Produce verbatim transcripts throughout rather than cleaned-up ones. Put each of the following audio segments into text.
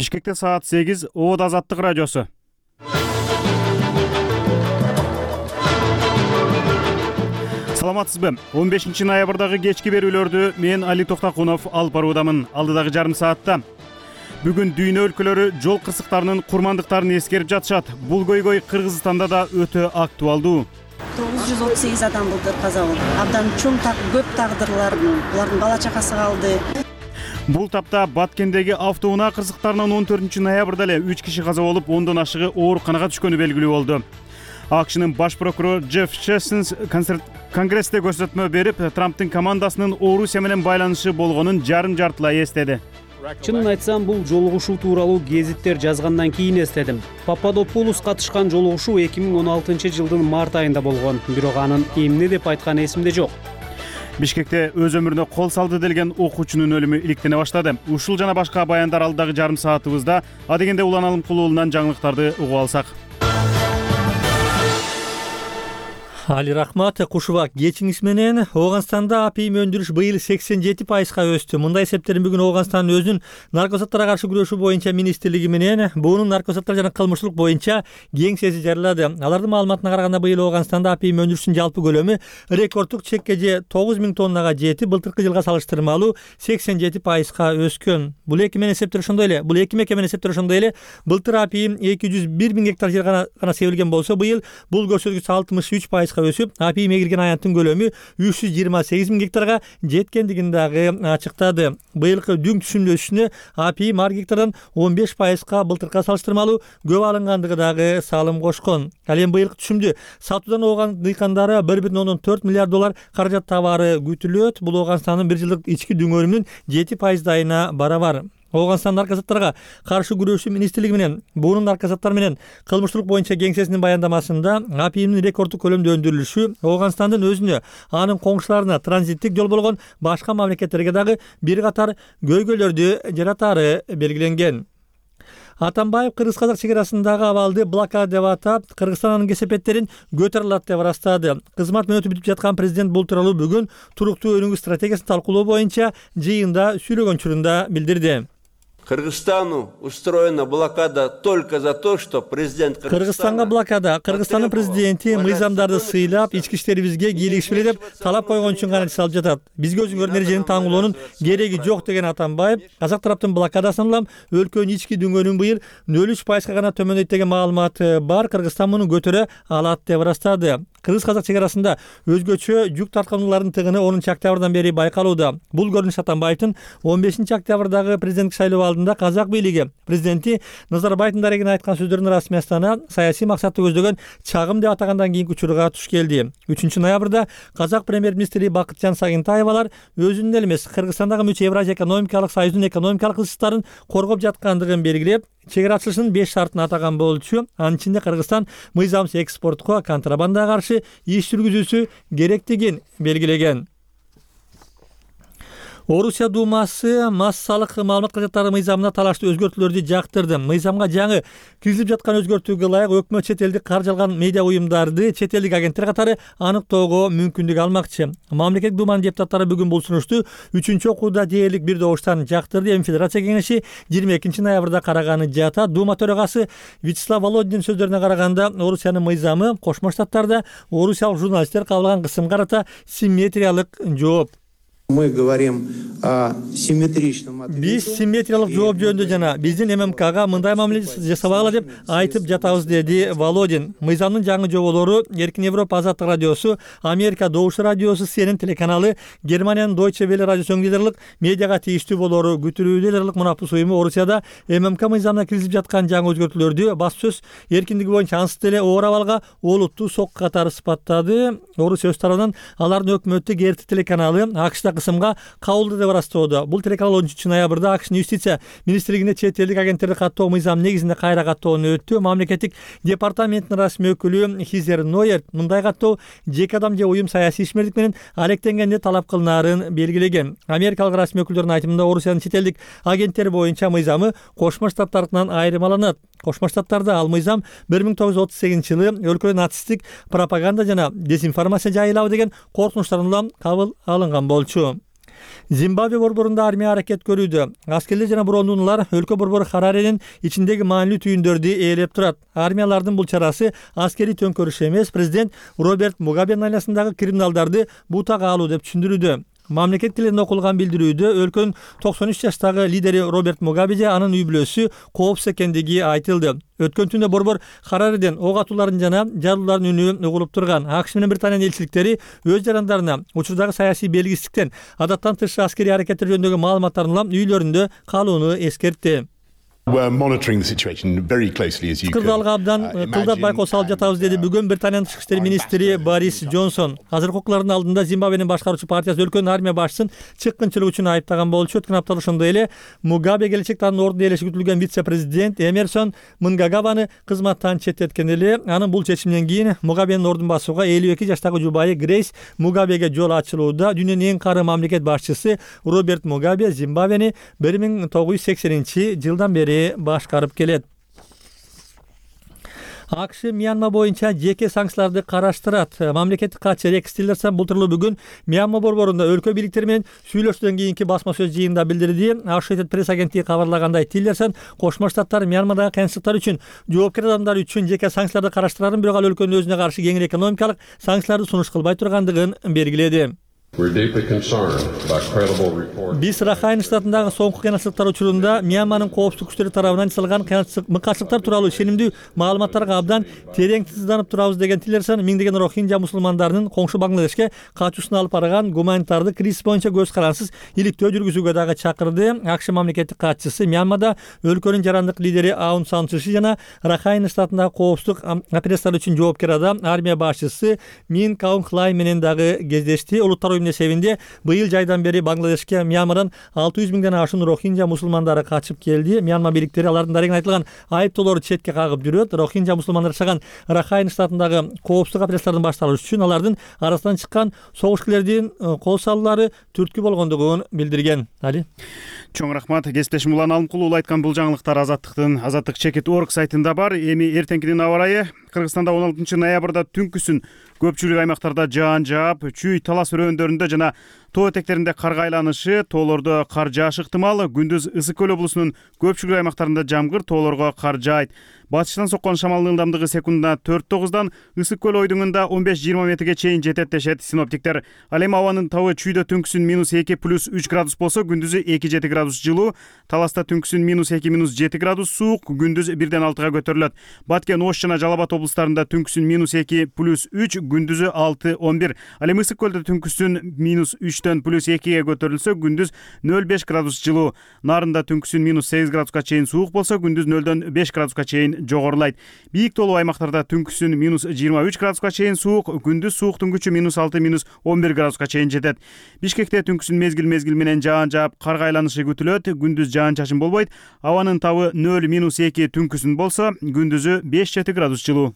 Бишкекте саат сегиз, Оот Азаттык радиосу. Саламатсызбы? он бешинчи ноябрдагы кечки берүүлөрдү мен Али Токтакунов алып баруудамын. Алдыдагы жарым саатта бүгүн дүйнө өлкөлөрү жол кырсыктарынын курмандыктарын эскерип жатышат. Бул көйгөй Кыргызстанда да өтө актуалдуу. тогуз жүз отуз сегиз адам былтыр каза болду. Абдан чоң көп тагдырлар, булардын бала чакасы калды. Бул тапта Баткендеги автоунаа кырсыктарынан он төртүнчү ноябрда эле үч киши каза болуп, ондон ашыгы ооруканага түшкөнү белгилүү болду. АКШнын баш прокурору Джефф Сессонс Конгрессте көрсөтмө берип, Трамптын командасынын Орусия менен байланышы болгонун жарым жартылай эстеди. Чынын айтсам, бул жолугушуу тууралуу гезиттер жазгандан кийин эстедим. Пападопулос катышкан жолугушуу эки миң он алтынчы жылдын март айында болгон, бирок анын эмне деп айтканы эсимде жок. Бишкекте өз өмүрүнө кол салды делген окуучунун өлүмү иликтене баштады. Ушул жана башка баяндар алдыдагы жарым саатыбызда. Адегенде Улан Алымкулуулунан жаңылыктарды угуп алсак. Али рахмат, кушубак кечиңиз менен. Ооганстанда апийим өндүрүш быйыл сексен жети пайызга өстү. Мындай эсептерин бүгүн Ооганстандын өзүнүн наркотиктерге каршы күрөшүү боюнча министрлиги менен буунун наркотиктер жана кылмыштуулук боюнча кеңсеси жарыялады. Алардын маалыматына караганда быйыл Ооганстанда апийим өндүрүшүнүн жалпы көлөмү рекордтук чекке же тогуз миң тоннага жетип, былтыркы жылга салыштырмалуу сексен жети пайызга өскөн. Бул эки менен эсептер ошондой эле. Бул эки меке менен эсептер ошондой эле. Былтыр апийим эки жүз бир миң гектар жер гана гана себилген болсо, быйыл бул көрсөткүч алтымыш үч пайызга өсүп, апийим эгилген аянттын көлөмү үч жүз жыйырма сегиз миң гектарга жеткендигин дагы ачыктады. Быйылкы дүң түшүмдүн өсүшүнө апийим ар гектардан он беш пайызга былтыркыга салыштырмалуу көп алынгандыгы дагы салым кошкон. Ал эми быйылкы түшүмдү сатуудан Ооган дыйкандары бір бүтүн ондон төрт миллиард доллар каражат табары күтүлөт. Бул Ооганстандын бир жылдык ички дүңөрүмүнүн жети пайыздайына барабар. Ооганстан наркотиктерге каршы күрөшүү министрлиги менен буунун наркотиктер менен кылмыштуулук боюнча кеңсесинин баяндамасында апийимдин рекордтук көлөмдө өндүрүлүшү Ооганстандын өзүнө, анын коңшуларына транзиттик жол болгон башка мамлекеттерге дагы бир катар көйгөйлөрдү жаратары белгиленген. Атамбаев кыргыз-казак чек арасындагы абалды блокада деп атап, Кыргызстан анын кесепеттерин көтөрүлөт деп ырастады. Кызмат мөөнөтү бүтүп жаткан президент бул тууралуу бүгүн туруктуу өнүгүү стратегиясын талкуулоо боюнча жыйында сүйлөгөн учурунда билдирди. Кыргызстану устроена блокада только за то, что президент Кыргызстанга блокада Кыргызстандын президенти мыйзамдарды сыйлап, ички иштерибизге кийлигишпели деп талап койгон үчүн гана салып жатат. Бизге өзүңөр эрежени таңуулоонун кереги жок деген Атамбаев, казак тараптын блокадасын улам өлкөнүн ички дүңөрүн быйыл нөл үч пайызга гана төмөндөйт деген маалыматы бар. Кыргызстан муну көтөрө алат деп ырастады. Кыргыз-казак чек арасында өзгөчө жүк тарткануулардын тыгыны онунчу октябрдан бери байкалууда. Бул көрүнүш Атамбаевдин он бешинчи октябрдагы президенттик шайлоо алдында казак бийлиги президенти Назарбаевдин дарегине айткан сөздөрүнүн расмий астана саясий максатты көздөгөн чагым деп атагандан кийинки учурга туш келди. үчүнчү ноябрда казак премьер-министри Бакытжан Сагынтаевалар өзүнүн эле эмес, Кыргызстандагы мүчө Евразия экономикалык союзунун экономикалык ысыктарын коргоп жаткандыгын белгилеп, чек ара ачылышынын беш шартын атаган болчу. Анын ичинде Кыргызстан мыйзамсыз экспортко, контрабандага каршы иш жүргүзүүсү керектигин белгилеген. Орусия Думасы массалык маалымат каражаттары мыйзамына талаштуу өзгөртүүлөрдү жактырды. Мыйзамга жаңы киргизилип жаткан өзгөртүүгө ылайык өкмөт чет элдик каржы алган медиа уюмдарды чет элдик агенттер катары аныктоого мүмкүндүк алмакчы. Мамлекеттик Думанын депутаттары бүгүн бул сунушту үчүнчү окууда дээрлик бир добуштан жактырды. Эми Федерация кеңеши жыйырма экинчи ноябрда караганы жатат. Дума төрагасы Вячеслав Володинин сөздөрүнө караганда, Орусиянын мыйзамы Кошмо Штаттарда орусиялык журналисттер кабыл алган кысымга карата симметриялык жооп. Мы говорим о симметричном ответе. Биз симметриялык жооп жөнүндө жана биздин эм эм кга мындай мамиле жасабагыла деп айтып жатабыз, деди Володин. Мыйзамдын жаңы жоболору Эркин Европа Азаттык радиосу, Америка Добуш радиосу, Си Эн Эн телеканалы, Германиянын Deutsche Welle радиосунун лидерлик медиага тийиштүү болору күтүлүүдө. Лидерлик мунапыс уюму Орусияда эм эм ка мыйзамына киргизип жаткан жаңы өзгөртүүлөрдү басып сөз эркиндиги боюнча ансыз деле оор абалга олуттуу сокку катары сыпаттады. Орусия өз тарабынан алардын өкмөттүк эр тэ телеканалы АКШда кысымга кабылды деп ырастоодо. Бул телеканал он үчүнчү ноябрда АКШнын юстиция министрлигине чет элдик агенттерди каттоо мыйзамы негизинде кайра каттоону өттү. Мамлекеттик департаменттин расмий өкүлү Хизер Нойер мындай каттоо жеке адам же уюм саясий ишмердик менен алектенгенде талап кылынаарын белгилеген. Америкалык расмий өкүлдөрдүн айтымында Орусиянын чет элдик агенттери боюнча мыйзамы Кошмо Штаттарынан айырмаланат. Кошмо Штаттарда ал мыйзам бир миң тогуз жүз отуз сегизинчи жылы өлкөдө нацисттик пропаганда жана дезинформация жайылабы деген коркунучтардан улам кабыл алынган болчу. Зимбабве борборунда армия аракет көрүүдө. Аскерлер жана брондуналар өлкө борбору Хараренин ичиндеги маанилүү түйүндөрдү ээлеп турат. Армиялардын бул чарасы аскерий төңкөрүш эмес, президент Роберт Мугабенин айласындагы криминалдарды бутага алуу деп түшүндүрүүдө. Мамлекет тилинде окулган билдирүүдө өлкөнүн токсон үч жаштагы лидери Роберт Мугабе же анын үй бүлөсү коопсуз экендиги айтылды. Өткөн түндө борбор Харареден ок атуулардын жана жарылуулардын үнү угулуп турган. АКШ менен Британиянын элчиликтери өз жарандарына учурдагы саясий белгисиздиктен адаттан тыш аскерий аракеттер жөнүндөгү маалыматтарын улам үйлөрүндө калууну эскертти. Кырдаалга абдан тылдап байкоо салып жатабыз, деди бүгүн Британиянын тышкы иштер министри Борис Джонсон. Азыркы окуулардын алдында Зимбабвенин башкаруучу партиясы өлкөнүн армия башчысын чыккынчылык үчүн айыптаган болчу. Өткөн аптада ошондой эле Мугабе келечекте анын ордуна ээлеши күтүлгөн вице-президент Эмерсон Мнгагаваны кызматтан четтеткен эле. Анын бул чечиминен кийин Мугабенин ордун басууга элүү эки жаштагы жубайы Грейс Мугабеге жол ачылууда. Дүйнөнүн эң кары мамлекет башчысы Роберт Мугабе Зимбабвени бир миң тогуз жүз сексенинчи жылдан бери башкарып келет. АКШ Мьянма боюнча жеке санкцияларды караштырат. Мамлекеттик катчы Рекс Тиллерсон былтыр бүгүн Мьянма борборунда өлкө бийликтери менен сүйлөшүүдөн кийинки басма сөз жыйынында билдирди. Associated Press агенттиги кабарлагандай, Тиллерсон Кошмо Штаттар Мьянмадагы кыйынчылыктар үчүн жоопкер адамдар үчүн жеке санкцияларды караштырарын, бирок ал өлкөнүн өзүнө каршы кеңири экономикалык санкцияларды сунуш кылбай тургандыгын белгиледи. Биз Рахайн штатындагы соңку кыйынчылыктар учурунда Мьянманын коопсуздук күчтөрү тарабынан жасалган мыкаачылыктар тууралуу ишенимдүү маалыматтарга абдан терең тынчсызданып турабыз деген Тиллерсон миңдеген рохинжа мусулмандарынын коңшу Бангладешке качуусун алып барган гуманитардык кризис боюнча көз карансыз иликтөө жүргүзүүгө дагы чакырды. АКШ мамлекеттик катчысы Мьянмада өлкөнүн жарандык лидери Аун Сан Су Чжи жана Рахайн штатындагы коопсуздук операциялар үчүн жоопкер адам армия башчысы Мин Каун Хлай менен дагы кездешти. Улуттар эсебинде быйыл жайдан бери Бангладешке Мьянмадан алты жүз миңден ашуун рохинжа мусулмандары качып келди. Мьянма бийликтери алардын дарегин айтылган айыптоолорду четке кагып жүрөт. Рохинжа мусулмандар жашаган Рахайн штатындагы коопсуздук операциялардын башталышы үчүн алардын арасынан чыккан согушкерлердин кол салуулары түрткү болгондугун билдирген. Али. Чоң рахмат. Кесиптешим Улан Алымкулуу айткан бул жаңылыктар Азаттыктын азаттык чекит точка орг сайтында бар. Эми эртеңкинин аба ырайы. Кыргызстанда он алтынчы ноябрда түнкүсүн көпчүлүк аймактарда жаан жаап, чүй талас өрөөндөрүндө жана тоо этектеринде карга айланышы, тоолордо кар жаашы ыктымал. Күндүз Ысык көл облусунун көпчүлүк аймактарында жамгыр, тоолорго кар жаайт. Батыштан соккон шамалдын ылдамдыгы секундуна төрт тогуздан Ысык көл ойдуңунда он беш жыйырма метрге чейин жетет дешет синоптиктер. Ал эми абанын табы чүйдө түнкүсүн минус эки плюс үч градус болсо, күндүзү эки жети градус жылуу. Таласта түнкүсүн минус эки минус жети градус суук, күндүз бирден алтыга көтөрүлөт. Баткен, Ош жана Жалал Абад облустарында түнкүсүн минус эки плюс үч, күндүзү алты он бир. Ал эми Ысык көлдө түнкүсүн минус үчтөн плюс экиге көтөрүлсө, күндүз нөл беш градус жылуу. Нарында түнкүсүн минус сегиз градуска чейин суук болсо, күндүз нөлдөн беш градуска чейин жогорулайт. Бийик тоолуу аймактарда түнкүсүн минус жыйырма үч градуска чейин суук, күндүз сууктун күчү минус алты минус он бир градуска чейин жетет. Бишкекте түнкүсүн мезгил мезгил менен жаан жаап, карга айланышы күтүлөт. Күндүз жаан чачын болбойт. Абанын табы нөл минус эки түнкүсүн болсо, күндүзү беш жети градус жылуу.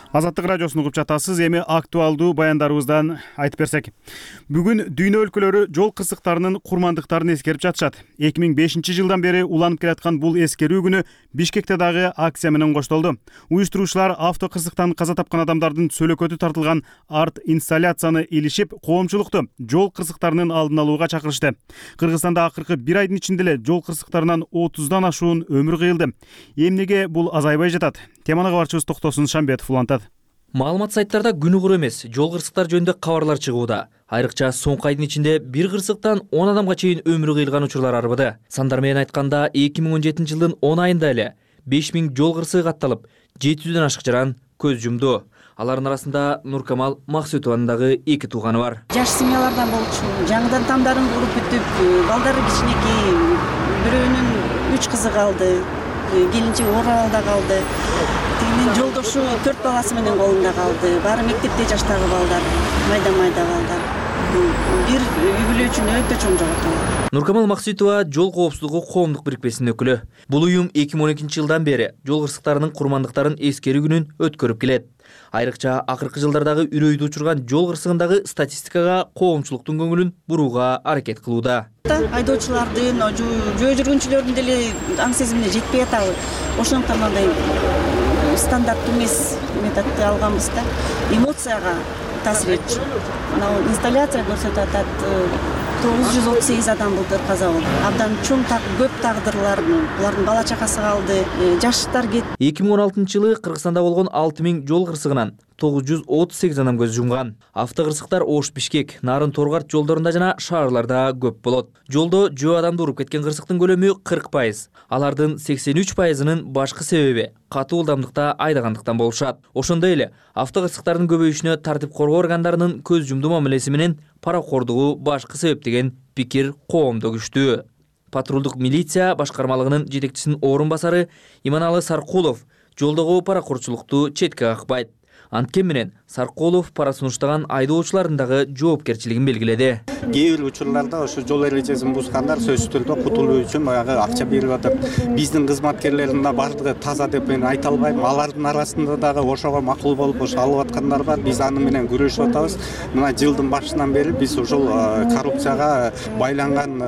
Азаттык радиосун угуп жатасыз. Эми актуалдуу баяндарыбыздан айтып берсек. Бүгүн дүйнө өлкөлөрү жол кырсыктарынын курмандыктарын эскерип жатышат. эки миң бешинчи жылдан бери уланып келаткан бул эскерүү күнү Бишкекте дагы акция менен коштолду. Уюштуруучулар авто кырсыктан каза тапкан адамдардын сөлөкөтү тартылган арт инсталляцияны илишип, коомчулукту жол кырсыктарынын алдын алууга чакырышты. Кыргызстанда акыркы бир айдын ичинде эле жол кырсыктарынан отуздан ашуун өмүр кыйылды. Эмнеге бул азайбай жатат? Теманы кабарчыбыз Токтосун Шамбетов улантат. Маалымат сайттарда күнү кур эмес жол кырсыктар жөнүндө кабарлар чыгууда. Айрыкча соңку айдын ичинде бир кырсыктан он адамга чейин өмүрү кыйылган учурлар арбыды. Сандар менен айтканда эки миң он жетинчи жылдын он айында эле беш миң жол кырсыгы катталып, жети жүздөн ашык жаран көз жумду. Алардын арасында Нуркамал Максутованын дагы эки тууганы бар. Жаш семьялардан болчу. Жаңыдан тамдарын куруп бүтүп, балдары кичинекей, бирөөнүн үч кызы калды, келинчеги Оралда калды. Тигинин жолдошу төрт баласы менен колунда калды. Баары мектепте жаштагы балдар, майда-майда балдар. Бир үй бүлө үчүн өтө чоң жоготуу. Нуркамал Максутова жол коопсуздугу коомдук бирикмесинин өкүлү. Бул уюм эки миң он экинчи жылдан бери жол кырсыктарынын курмандыктарын эскерүү күнүн өткөрүп келет. Айрыкча акыркы жылдардагы үрөйдү учурган жол кырсыгындагы статистикага коомчулуктун көңүлүн бурууга аракет кылууда. Айдоочулардын, жөө жүргүнчүлөрдүн деле аң сезимине жетпей атабы. Ошондуктан андай стандарттуу эмес методду алганбыз да, эмоцияга таасир этчү. Мына инсталляция көрсөтүп атат, тогуз жүз отуз сегиз адам былтыр каза болду. Абдан чоң көп тагдырлар, булардын бала чакасы калды, жаштар кетти. эки миң он алтынчы жылы Кыргызстанда болгон алты миң жол кырсыгынан тогуз жүз отуз сегиз адам көз жумган. Автокырсыктар Ош, Бишкек, Нарын, Торгарт жолдорунда жана шаарларда көп болот. Жолдо жөө адамды уруп кеткен кырсыктын көлөмү кырк пайыз. Алардын сексен үч пайызынын башкы себеби катуу ылдамдыкта айдагандыктан болушат. Ошондой эле автокырсыктардын көбөйүшүнө тартип коргоо органдарынын көз жумду мамилеси менен паракордугу башкы себеп деген пикир коомдо күчтүү. Патрулдук милиция башкармалыгынын жетекчисинин орун басары Иманалы Саркулов жолдогу паракордчулукту четке какпайт. Анткени менен Саркулов пара сунуштаган айдоочулардын дагы жоопкерчилигин белгиледи. Кээ бир учурларда ошо жол эрежесин бузгандар сөзсүз түрдө кутулуу үчүн баягы акча берип атат. Биздин кызматкерлердин да бардыгы таза деп мен айта албайм. Алардын арасында дагы ошого макул болуп ошо алып аткандар бар. Биз аны менен күрөшүп атабыз. Мына жылдын башынан бери биз ошол коррупцияга байланган,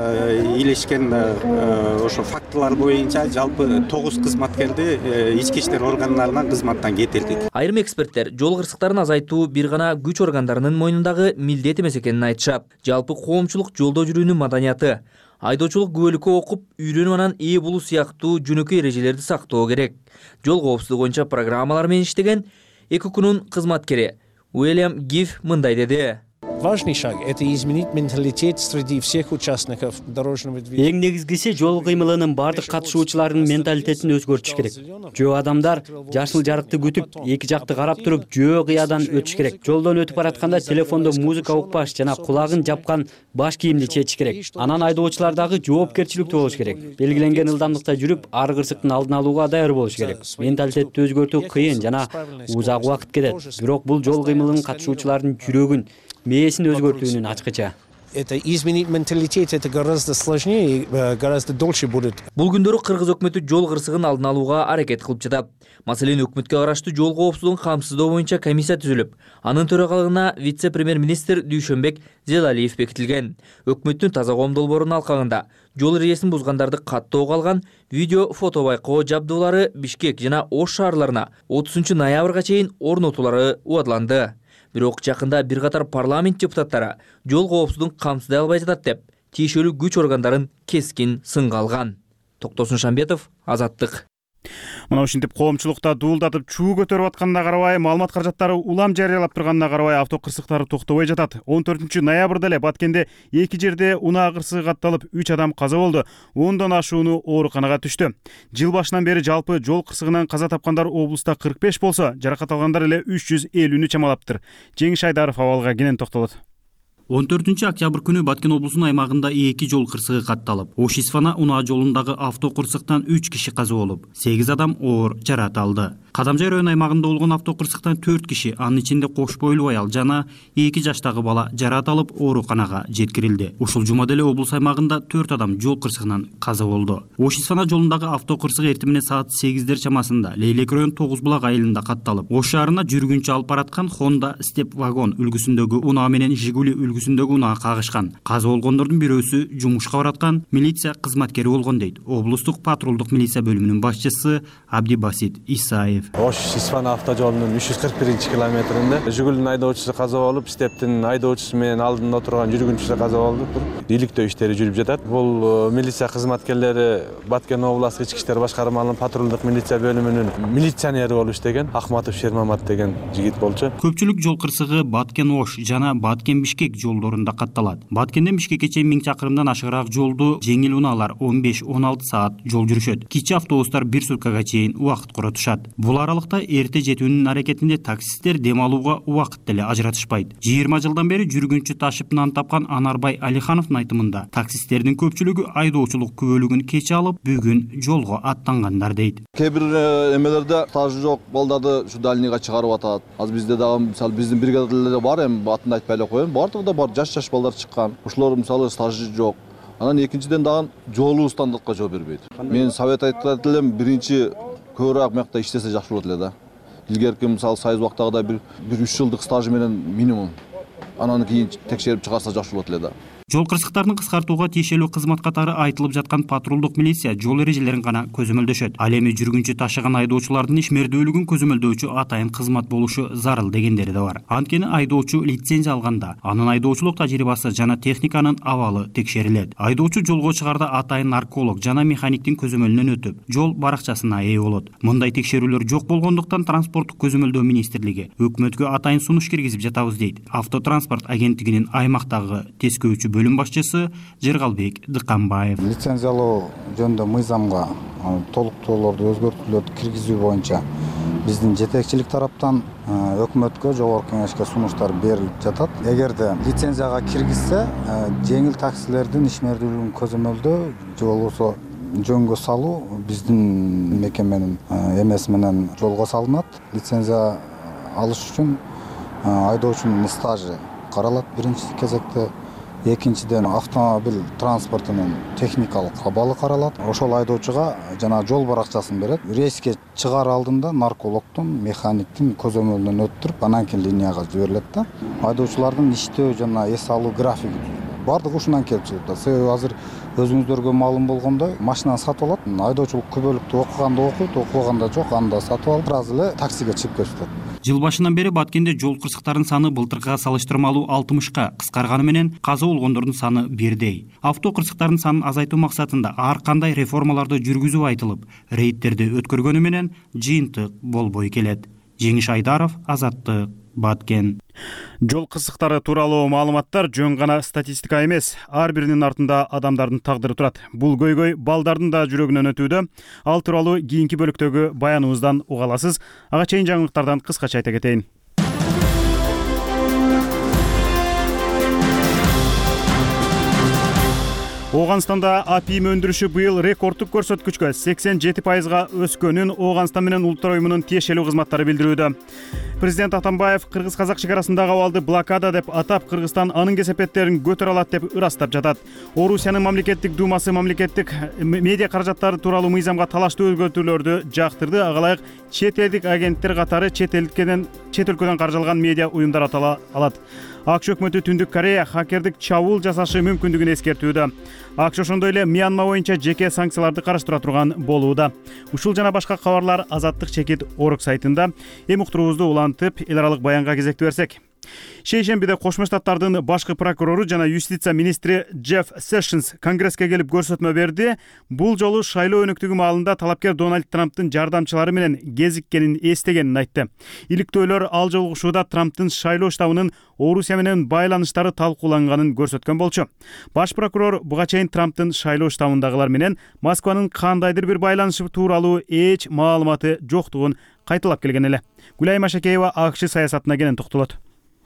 илешкен ошо фактылар боюнча жалпы тогуз кызматкерди ички иштер органдарынан кызматтан кетирдик. Айрым эксперттер жол кырсыктарын азайтуу бир гана күч органдарынын мойнундагы милдет эмес экенин айтышат. Жалпы коомчулук жолдо жүрүүнүн маданияты, айдоочулук күбөлүккө окуп, үйрөнүп анан ээ болуу сыяктуу жөнөкөй эрежелерди сактоо керек. Жол коопсуздугу боюнча программалар менен иштеген ЭККнун кызматкери Уильям Гиф мындай деди. Важный шаг – это изменить менталитет среди всех участников дорожного движения. Эң негизгиси жол кыймылынын бардык катышуучуларынын менталитетин өзгөртүш керек. Жөө адамдар жашыл жарыкты күтүп, эки жакты карап туруп, жөө кыядан өтүш керек. Жолдон өтүп баратканда телефондо музыка укпаш жана кулагын жапкан баш кийимди чечиш керек. Анан айдоочулар дагы жоопкерчиликтүү болуш керек. Белгиленген ылдамдыкта жүрүп, ар кырсыктын алдын алууга даяр болуш керек. Менталитетти өзгөртүү кыйын жана узак убакыт кетет. Бирок бул жол кыймылынын катышуучулардын жүрөгүн, мээсин өзгөртүүнүн ачкыча. Это изменить менталитет, это гораздо сложнее и гораздо дольше будет. Бул күндөрү Кыргыз өкмөтү жол кырсыгын алдын алууга аракет кылып жатат. Маселен, өкмөткө караштуу жол коопсуздугун камсыздоо боюнча комиссия түзүлүп, анын төрагалыгына вице-премьер-министр Дүйшөнбек Зелалиев бекитилген. Өкмөттүн таза коом долбоорунун алкагында жол эрежесин бузгандарды каттоого алган видео фото байкоо жабдуулары Бишкек жана Ош шаарларына отузунчу ноябрга чейин орнотуулары убадыланды. Бирок жакында бир катар парламент депутаттары жол коопсуздугун камсыздай албай жатат деп, тиешелүү күч органдарын кескин сынга алган. Токтосун Шамбетов, Азаттык. Мына ушинтип коомчулукта дуулдатып чуу көтөрүп атканына карабай, маалымат каражаттары улам жарыялап турганына карабай автокырсыктары токтобой жатат. он төртүнчү ноябрда эле Баткенде эки жерде унаа кырсыгы катталып, үч адам каза болду. ондон ашууну ооруканага түштү. Жыл башынан бери жалпы жол кырсыгынан каза тапкандар облуста кырк беш болсо, жаракат алгандар эле үч жүз элүүнү чамалаптыр. Жеңиш Айдаров абалга кенен токтолот. он төртүнчү октябрь күнү Баткен облусунун аймагында эки жол кырсыгы катталып, Ош-Исфана унаа жолундагы автокырсыктан үч киши каза болуп, сегиз адам оор жаракат алды. Кадамжай район аймагында болгон автокырсыктан төрт киши, анын ичинде кош бойлуу аял жана эки жаштагы бала жаракат алып ооруканага жеткирилди. Ушул жумада эле облус аймагында төрт адам жол кырсыгынан каза болду. Ош-Исфана жолундагы автокырсык эртең менен саат сегиздер чамасында Лейлек район Тогуз булак айылында катталып, Ош шаарына жүргүнчү алып бараткан Honda Step вагон үлгүсүндөгү унаа менен Жигули үлгүсүндөгү унаа кагышкан. Каза болгондордун бирөөсү жумушка бараткан милиция кызматкери болгон дейт облустук патрулдук милиция бөлүмүнүн башчысы Абдибасит Исаев. Ош-Исфана автожолунун үч жүз кырк биринчи километринде Жигулинин айдоочусу каза болуп, Стептин айдоочусу менен алдында отурган жүргүнчүсү каза болду. Иликтөө иштери жүрүп жатат. Бул милиция кызматкерлери Баткен областык ички иштер башкармалыгынын патрулдук милиция бөлүмүнүн милиционери болуп иштеген Ахматов Шермамат деген жигит болчу. Көпчүлүк жол кырсыгы Баткен-Ош жана Баткен-Бишкек жолдорунда катталат. Баткенден Бишкекке чейин миң чакырымдан ашыгыраак жолду жеңил унаалар он беш он алты саат жол жүрүшөт. Кичи автобустар бир суткага чейин убакыт коротушат. Бул аралыкта эрте жетүүнүн аракетинде таксисттер дем алууга убакыт деле ажыратышпайт. жыйырма жылдан бери жүргүнчү ташып нан тапкан Анарбай Алихановдун айтымында, таксисттердин көпчүлүгү айдоочулук күбөлүгүн кече алып, бүгүн жолго аттангандар дейт. Кээ бир эмелерде стажы жок балдарды ушу дальныйга чыгарып атат. Азыр бизде дагы мисалы биздин бригадаларда бар, эми атын айтпай эле коеюн. Бардыгы бар жаш-жаш балдар чыккан. Ушулар мисалы стажы жок. Анан экинчиден дагы жолу стандартка жооп бербейт. Мен совет айтат элем, биринчи көбүрөөк мякта иштесе жакшы болот эле да. Илгерки мисалы сайыз убактагыдай бир үч жылдык стажы менен минимум. Анан кийин текшерип чыгарса жакшы болот эле да. Жол кырсыктарын кыскартууга тиешелүү кызмат катары айтылып жаткан патрулдук милиция жол эрежелерин гана көзөмөлдөшөт. Ал эми жүргүнчү ташыган айдоочулардын ишмердүүлүгүн көзөмөлдөөчү атайын кызмат болушу зарыл дегендери да бар. Анткени айдоочу лицензия алганда анын айдоочулук тажрыйбасы жана техниканын абалы текшерилет. Айдоочу жолго чыгарда атайын нарколог жана механиктин көзөмөлүнөн өтүп, жол баракчасына ээ болот. Мындай текшерүүлөр жок болгондуктан транспорттук көзөмөлдөө министрлиги өкмөткө атайын сунуш киргизип жатабыз дейт Автотранспорт агенттигинин аймактагы тескөөчү бөлүм башчысы Жыргалбек Дыкканбаев. Лицензиялоо жөнүндө мыйзамга толуктоолорду өзгөртүүлөрдү киргизүү боюнча биздин жетекчилик тараптан өкмөткө, жогорку кеңешке сунуштар берилип жатат. Эгерде лицензияга киргизсе, жеңил таксилердин ишмердүүлүгүн көзөмөлдөө же болбосо жөнгө салуу биздин мекеменин эмеси менен жолго салынат. Лицензия алыш үчүн айдоочунун стажы каралат биринчи кезекте. Экинчиден автомобиль транспортунун техникалык абалы каралат. Ошол айдоочуга жана жол баракчасын берет. Рейске чыгаар алдында наркологдун, механиктин көзөмөлүнөн өттүрүп, анан кийин линияга жиберилет да. Айдоочулардын иштөө жана эс алуу графиги бардыгы ушундан келип чыгат. Себеби азыр өзүңүздөргө маалым болгондой, машинаны сатып алат, айдоочулук күбөлүктү окуганда окуйт, окубаганда жок, анда сатып алып, сразу эле таксиге чыгып кетет. Жыл башынан бери Баткенде жол кырсыктарынын саны былтыркыга салыштырмалуу алтымышка кыскарганы менен каза болгондордун саны бирдей. Авто кырсыктарынын санын азайтуу максатында ар кандай реформаларды жүргүзүү айтылып, рейдтерди өткөргөнү менен жыйынтык болбой келет. Жеңиш Айдаров, Азаттык, Баткен. Жол кырсыктары тууралуу маалыматтар жөн гана статистика эмес, ар биринин артында адамдардын тагдыры турат. Бул көйгөй балдардын да жүрөгүнөн өтүүдө. Ал тууралуу кийинки бөлүктөгү баяныбыздан уга аласыз. Ага чейин жаңылыктардан кыскача айта кетейин. Ооганстанда апиим өндүрүшү быйыл рекордтук көрсөткүчкө сексен жети пайызга өскөнүн Ооганстан менен Улуттар уюмунун тиешелүү кызматтары билдирүүдө. Президент Атамбаев кыргыз-казак чекарасындагы абалды блокада деп атап, Кыргызстан анын кесепеттерин көтөрө алат деп ырастап жатат. Орусиянын мамлекеттик думасы мамлекеттик медиа каражаттары тууралуу мыйзамга талаштуу өзгөртүүлөрдү жактырды. Ага ылайык чет элдик агенттер катары чет элден чет өлкөдөн каржылган медиа уюмдар атала алат. АКШ өкмөтү Түндүк Корея хакердик чабуул жасашы мүмкүндүгүн эскертүүдө. АКШ ошондой эле Мьянма боюнча жеке санкцияларды караштыра турган болууда. Ушул жана башка кабарлар Азаттык чекит орг сайтында. Эми уктуруубузду улантып, эл аралык баянга кезектүү берсек. Шейшембиде Кошмо Штаттардын башкы прокурору жана юстиция министри Джефф Сэшнс Конгресске келип көрсөтмө берди. Бул жолу шайлоо өнөктүгү маалында талапкер Дональд Трамптын жардамчылары менен кезиккенин эстегенин айтты. Иликтөөлөр ал жолугушууда Трамптын шайлоо штабынын Орусия менен байланыштары талкууланганын көрсөткөн болчу. Баш прокурор буга чейин Трамптын шайлоо штабындагылар менен Москванын кандайдыр бир байланышы тууралуу эч маалыматы жоктугун кайталап келген эле. Гүлайым Ашакеева АКШ саясатына кенен токтолот.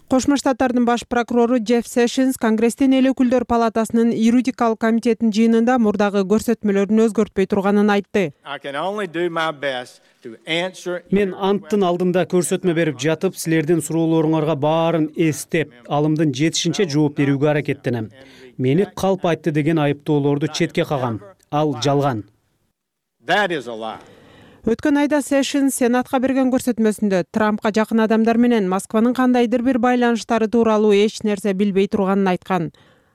Кошмо Штаттардын баш прокурору Джефф Сэшнс Конгресстин эл өкүлдөр палатасынын юридикалык комитетинин жыйынында мурдагы көрсөтмөлөрүн өзгөртпөй турганын айтты. Мен анттын алдында көрсөтмө берип жатып, силердин суроолоруңарга баарын эстеп, алымдын жетишинче жооп берүүгө аракеттенем. Мени калп айтты деген айыптоолорду четке кагам. Ал жалган. Өткөн айда Сэшнс Сенатка берген көрсөтмөсүндө Трампка жакын адамдар менен Москванын кандайдыр бир байланыштары тууралуу эч нерсе билбей турганын айткан.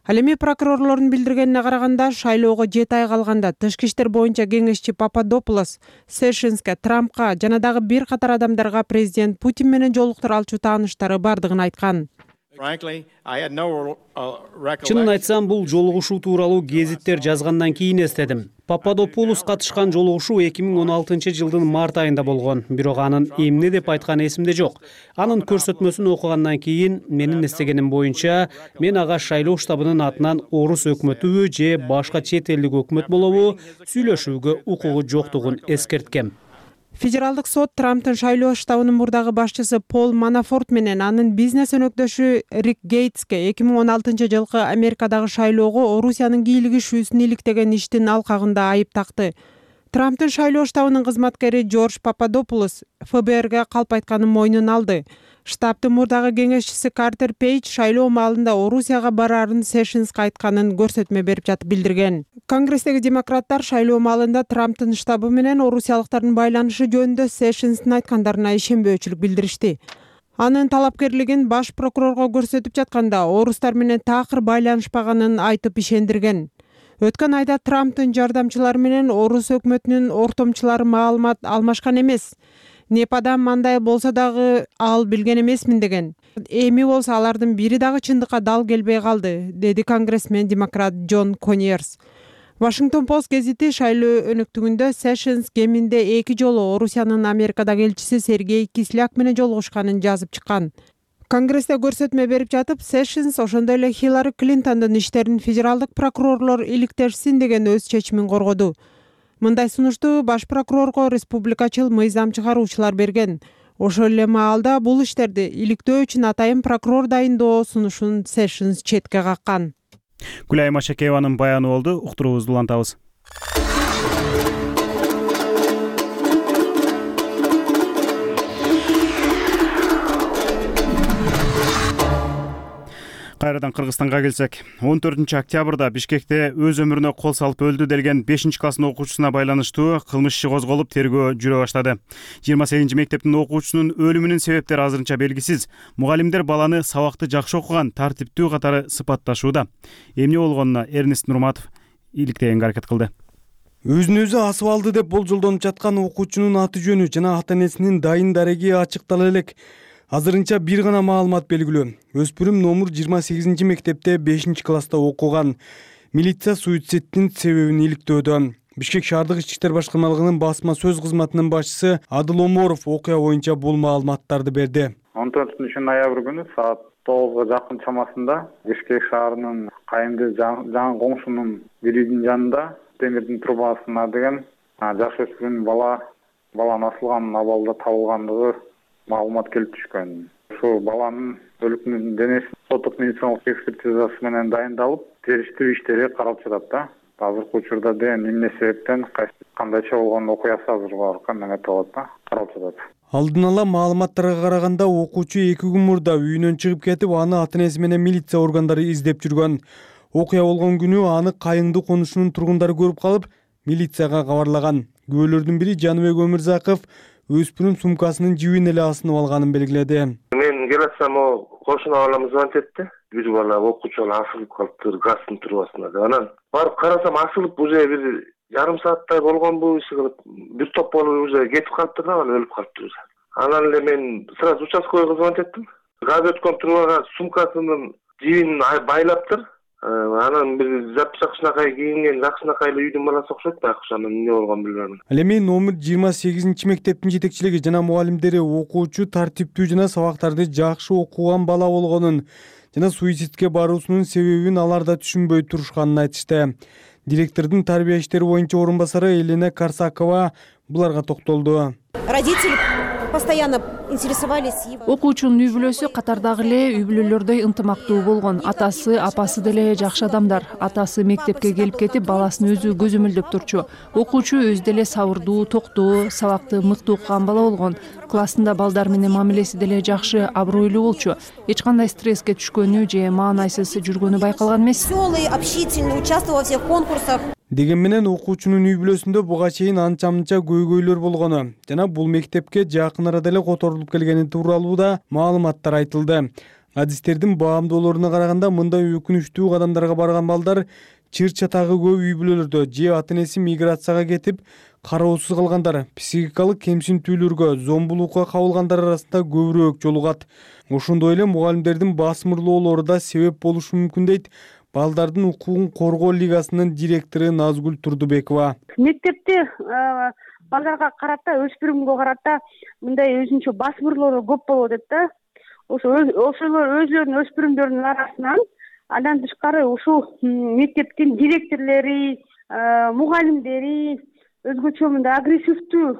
Ал эми прокурорлордун билдиргенине караганда, шайлоого жети ай калганда тышкы иштер боюнча кеңешчи Пападополос Сэшнске, Трампка жана дагы бир катар адамдарга президент Путин менен жолуктура алчу тааныштары бардыгын айткан. Чынын айтсам, бул жолугушуу тууралуу гезиттер жазгандан кийин эстедим. Пападополос катышкан жолугушуу эки миң он алтынчы жылдын март айында болгон, бирок анын эмне деп айтканы эсимде жок. Анын көрсөтмөсүн окугандан кийин менин эстегеним боюнча, мен ага шайлоо штабынын атынан орус өкмөтүбү же башка чет элдик өкмөт болобу сүйлөшүүгө укугу жоктугун эскерткем. Федералдык сот Трамптын шайлоо штабынын мурдагы башчысы Пол Манафорт менен анын бизнес өнөктөшү Рик Гейтске эки миң он алтынчы жылкы Америкадагы шайлоого Орусиянын кийлигишүүсүн иликтеген иштин алкагында айып такты. Трамптын шайлоо штабынын кызматкери Джордж Пападополос эф бэ эрге калп айтканын мойнуна алды. Штабтын мурдагы кеңешчиси Картер Пейдж шайлоо маалында Орусияга бараарын Сэшнске айтканын көрсөтмө берип жатып билдирген. Конгресстеги демократтар шайлоо маалында Трамптын штабы менен орусиялыктардын байланышы жөнүндө Сэшнстин айткандарына ишенбөөчүлүк билдиришти. Анын талапкерлигин баш прокурорго көрсөтүп жатканда орустар менен такыр байланышпаганын айтып ишендирген. Өткөн айда Трамптын жардамчылары менен орус өкмөтүнүн ортомчулары маалымат алмашкан эмес. Непадан мандай болсо дагы ал билген эмесмин деген. Эми болсо алардын бири дагы чындыкка дал келбей калды, деди конгрессмен демократ Джон Коньерс. Вашингтон Пост гезити шайлоо өнөктүгүндө Sessions кеминде эки жолу Орусиянын Америкадагы элчиси Сергей Кисляк менен жолугушканын жазып чыккан. Конгрессте көрсөтмө берип жатып, Sessions ошондой эле Хиллари Клинтондун иштерин федералдык прокурорлор иликтешсин деген өз чечимин коргоду. Мындай сунушту баш прокурорго республикачыл мыйзам чыгаруучулар берген. Ошол эле маалда бул иштерди иликтөө үчүн атайын прокурор дайындоо сунушун Sessions четке каккан. Гүлай Машакееванын баяны болду. Уктуруубузду улантабыз. Кайрадан Кыргызстанга келсек, он төртүнчү октябрда Бишкекте өз өмүрүнө кол салып өлдү делген бешинчи класстын окуучусуна байланыштуу кылмыш иши козголуп, тергөө жүрө баштады. жыйырма сегизинчи мектептин окуучусунун өлүмүнүн себептери азырынча белгисиз. Мугалимдер баланы сабакты жакшы окуган, тартиптүү катары сыпатташууда. Эмне болгонуна Эрнест Нурматов иликтегенге аракет кылды. Өзүн өзү асып алды деп болжолдонуп жаткан окуучунун аты жөнү жана ата энесинин дайын дареги ачыктала элек. Азырынча бир гана маалымат белгилүү. Өспүрүм номер жыйырма сегизинчи мектепте бешинчи класста окуган. Милиция суицидтин себебин иликтөөдө. Бишкек шаардык ички иштер башкармалыгынын басма сөз кызматынын башчысы Адыл Оморов окуя боюнча бул маалыматтарды берди. он төртүнчү ноябрь күнү саат тогузга жакын чамасында Бишкек шаарынын Кайымды жаңы коңшунун бир үйдүн жанында темирдин трубасына деген жаш өспүрүм бала баланын асылган абалда табылгандыгы маалымат келип түшкөн. Ушул баланын өлүкүнүн денеси соттук медициналык экспертизасы менен дайындалып, териштирүү иштери каралып жатат да. Азыркы учурда деген эмне себептен кандайча болгон окуясы азыркы неметилет да, каралып жатат. Алдын ала маалыматтарга караганда окуучу эки күн мурда үйүнөн чыгып кетип, аны ата энеси менен милиция органдары издеп жүргөн. Окуя болгон күнү аны Кайыңды конушунун тургундары көрүп калып, милицияга кабарлаган. Күбөлөрдүн бири Жаныбек Өмүрзаков өспүрүм сумкасынын жибин эле асынып алганын белгиледи. Мен келатсам, о кошуна балам звонить этти. Бир бала окуучу бала асылып калыптыр газдын трубасына деп. Анан барып карасам, асылып уже бир жарым сааттай болгонбу, иши кылып, бир топ болуп уже кетип калыптыр да, анан өлүп калыптыр. Анан эле мен сразу участковыйга звонить эттим. Газ өткөн трубага сумкасынын жибин байлаптыр. Анан бир жакшынакай кийинген, жакшынакай эле үйдүн баласы окшойт, байкуш анан эмне болгонун билбейм. Ал эми номер жыйырма сегизинчи мектептин жетекчилиги жана мугалимдери окуучу тартиптүү жана сабактарды жакшы окуган бала болгонун жана суицидке баруусунун себебин алар да түшүнбөй турушканын айтышты. Директордун тарбия иштери боюнча орун басары Елена Карсакова буларга токтолду. Родители постоянно интересовались его. Окуучунун үй бүлөсү катардагы эле үй бүлөлөрдөй ынтымактуу болгон. Атасы, апасы деле жакшы адамдар. Атасы мектепке келип кетип, баласын өзү көзөмөлдөп турчу. Окуучу өзү деле сабырдуу, токтоо, сабакты мыкты окуган бала болгон. Классында балдар менен мамилеси деле жакшы, абройлуу болчу. Эч кандай стресске түшкөнү же маанайсыз жүргөнү байкалган эмес. Веселый, общительный, участвовал во всех конкурсах. Деген менен окуучунун үй бүлөсүндө буга чейин анча-мынча көйгөйлөр болгону жана бул мектепке жакын арада эле которулуп келгени тууралуу да маалыматтар айтылды. Адистердин баамдоолоруна караганда, мындай өкүнүчтүү кадамдарга барган балдар чыр чатагы көп үй бүлөлөрдө же ата энеси миграцияга кетип кароосуз калгандар, психикалык кемсинтүүлөргө, зомбулукка кабылгандар арасында көбүрөөк жолугат. Ошондой эле мугалимдердин басмырлоолору да себеп болушу мүмкүн дейт Балдардын укугун коргоо лигасынын директору Назгүл Турдубекова. Мектепте балдарга карата, өспүрүмгө карата мындай өзүнчө басмырлоо көп болот дейт да. Ошо ошолор өзүлөрүнүн өспүрүмдөрүнүн арасынан андан тышкары ушул мектептин директорлори, мугалимдери өзгөчө мындай агрессивдүү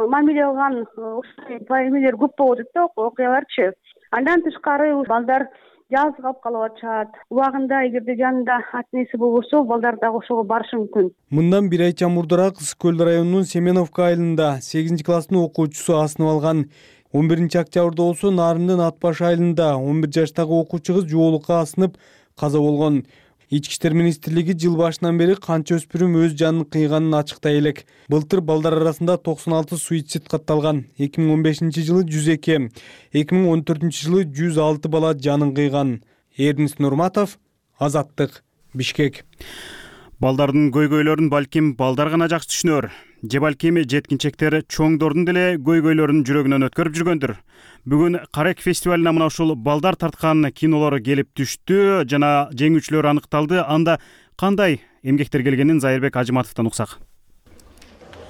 мамиле кылган ушул эмелер көп болот дейт да, окуяларчы. Андан тышкары балдар жалгыз калып калып атышат. Убагында эгерде жанында ата энеси болбосо, балдар дагы ошого барышы мүмкүн. Мындан бир айча мурдараак Ысык көл районунун Семеновка айылында сегизинчи класстын окуучусу асынып алган. он биринчи октябрда болсо Нарындын Атбаш айылында он бир жаштагы окуучу кыз жоолукка асынып каза болгон. Ички иштер министрлиги жыл башынан бери канча өспүрүм өз жанын кыйганын ачыктай элек. Былтыр балдар арасында токсон алты суицид катталган. эки миң он бешинчи жылы жүз эки, эки миң он төртүнчү жылы жүз алты бала жанын кыйган. Эрнис Нурматов, Азаттык, Бишкек. Балдардын көйгөйлөрүн балким балдар гана жакшы түшүнөр, же балким жеткинчектер чоңдордун деле көйгөйлөрүн жүрөгүнөн өткөрүп жүргөндүр. Бүгүн Карек фестивалына мына ушул балдар тарткан кинолор келип түштү жана жеңүүчүлөр аныкталды. Анда кандай эмгектер келгенин Зайырбек Ажыматовдон уксак.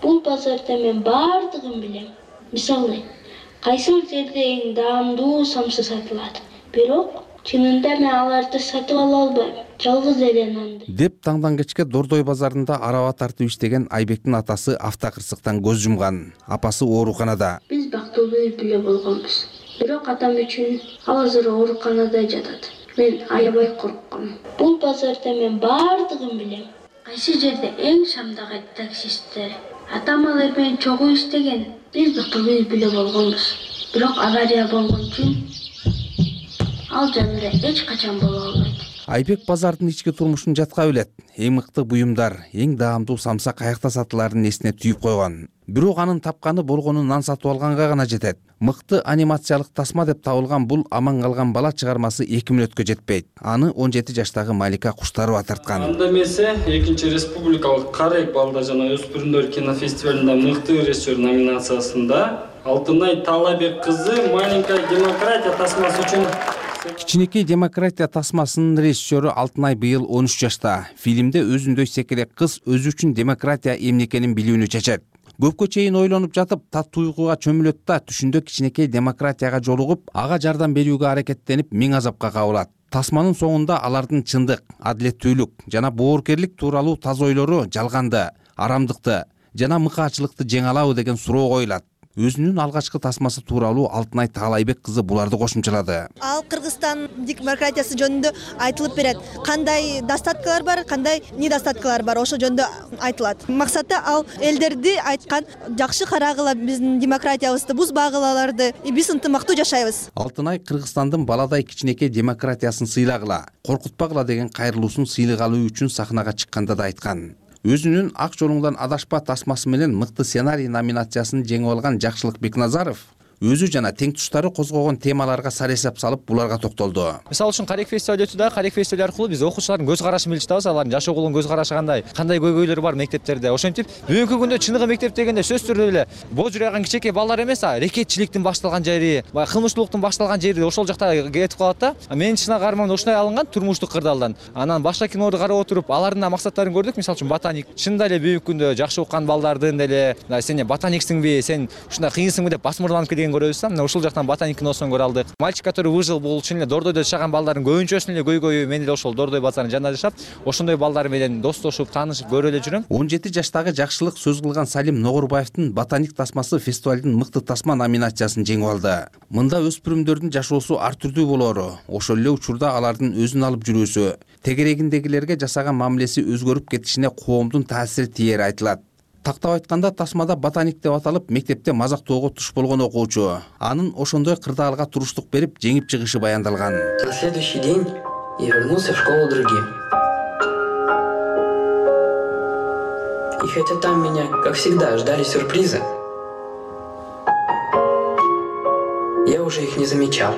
Бул базарда мен бардыгын билем. Мисалы, кайсыл жерде эң даамдуу самсы сатылат. Бирок чынында мен аларды сатып ала албайм. Жалгыз эле нанды. Деп таңдан кечке Дордой базарында араба тартып иштеген Айбектин атасы автокырсыктан көз жумган. Апасы ооруканада. Биз бактылуу үй бүлө болгонбуз. Бирок атам үчүн ал азыр ооруканада жатат. Мен аябай коркком. Бул базарда мен бардыгын билем. Кайсы жерде эң шамдагы таксисттер. Атам алар менен чогуу иштеген. Биз бактылуу үй бүлө болгонбуз. Бирок авария болгон үчүн ал жанында эч качан боло албайт. Айбек базардын ички турмушун жатка билет. Эң мыкты буюмдар, эң даамдуу самса каякта сатыларын эсине түйүп койгон. Бирок анын тапканы болгону нан сатып алганга гана жетет. Мыкты анимациялык тасма деп табылган бул аман калган бала чыгармасы эки мүнөткө жетпейт. Аны он жети жаштагы Малика Куштарова тарткан. Анда эмесе экинчи республикалык Карек балдар жана өспүрүмдөр кинофестивалында мыкты режиссер номинациясында Алтынай Талабек кызы «Маленькая демократия» тасмасы үчүн. Кичинекей демократия тасмасынын режиссеру Алтынай быйыл он үч жашта. Фильмде өзүндөй секерек кыз өзү үчүн демократия эмне экенин билүүнү чечет. Көпкө чейин ойлонуп жатып, тат туйгуга чөмүлөт да түшүндө кичинекей демократияга жолугуп, ага жардам берүүгө аракеттенип, миң азапка кабылат. Тасманын соңунда алардын чындык, адилеттүүлүк жана боорукерлик тууралуу таза ойлору жалганды, арамдыкты жана мыкаачылыкты жеңе алабы деген суроо коюлат. Өзүнүн алгачкы тасмасы тууралуу Алтынай Таалайбек кызы буларды кошумчалады. Ал Кыргызстан демократиясы жөнүндө айтылып берет. Кандай достаткалар бар, кандай недостаткалар бар, ошо жөнүндө айтылат. Максаты ал элдерди айткан жакшы карагыла, биздин демократиябызды бузбагылаларды, биз ынтымактуу жашайбыз. Алтынай Кыргызстандын баладай кичинекей демократиясын сыйлагыла, коркутпагыла деген кайрылуусун сыйлык алуу үчүн сахнага чыкканда да айткан. Өзүнүн Ак жолуңдан адашпа тасмасы менен мыкты сценарий номинациясын жеңип алган Жакшылык Бекназаров өзү жана тең туштары козгогон темаларга сар эсеп салып буларга токтолду. Мисалы үчүн Карек фестивалы өтүп да, Карек фестивалы аркылуу биз окуучулардын көз карашын билип жатабыз, алардын жашоого көз карашы кандай, кандай көйгөйлөр бар мектептерде. Ошентип, бүгүнкү күндө чыныгы мектеп дегенде сөзсүз түрдө эле боо жүргөн кичинекей балдар эмес, а рекетчиликтин башталган жери, баягы кылмыштуулуктун башталган жери ошол жакта кетип калат да. Менин чыныгы арманым ушундай алынган турмуштук кырдаалдан. Анан башка кинолорду карап отуруп, алардын максаттарын көрдүк. Мисалы үчүн ботаник. Чындап эле бүгүнкү күндө жакшы уккан балдардын деле, сен ботаниксиңби, сен ушундай кыйынсыңбы деп басмырланып келген көрөбүз да. Мына ушул жактан ботаник киносун көрө алдык. Мальчик, который выжил, бул чын эле Дордойдо жашаган балдардын көбүнчөсүнүн эле көйгөйү. Мен эле ошол Дордой базарынын жанында жашап, ошондой балдар менен достошуп, таанышып көрө эле жүрөм. он жети жаштагы Жакшылык сөз кылган Салим Ногорбаевдин ботаник тасмасы фестивалдын мыкты тасма номинациясын жеңип алды. Мында өспүрүмдөрдүн жашоосу ар түрдүү болору, ошол эле учурда алардын өзүн алып жүрүүсү, тегерегиндегилерге жасаган мамилеси өзгөрүп кетишине коомдун таасири тиери айтылат. Тактап айтканда тасмада ботаник деп аталып мектепте мазактоого туш болгон окуучу анын ошондой кырдаалга туруштук берип жеңип чыгышы баяндалган. На следующий день я вернулся в школу другим. И хотя там меня, как всегда, ждали сюрпризы, я уже их не замечал.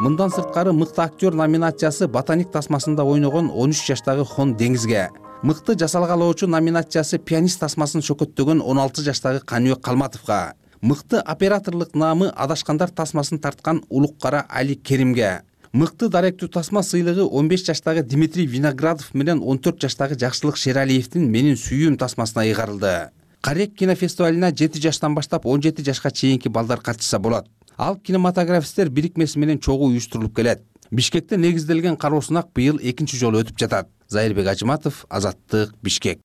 Мындан сырткары мыкты актер номинациясы ботаник тасмасында ойногон он үч жаштагы Хон Деңизге, мыкты жасалгалоочу номинациясы пианист тасмасын шөкөттөгөн он алты жаштагы Каныбек Калматовго, мыкты операторлук наамы Адашкандар тасмасын тарткан Улуккара Али Керимге, мыкты даректүү тасма сыйлыгы он беш жаштагы Дмитрий Виноградов менен он төрт жаштагы Жакшылык Шералиевдин Менин сүйүүм тасмасына ыйгарылды. Карек кинофестивалына жети жаштан баштап он жети жашка чейинки балдар катышса болот. Ал кинематографисттер бирикмеси менен чогуу уюштурулуп келет. Бишкекте негизделген кароо сынак быйыл экинчи жолу өтүп жатат. Зайырбек Ажыматов, Азаттык, Бишкек.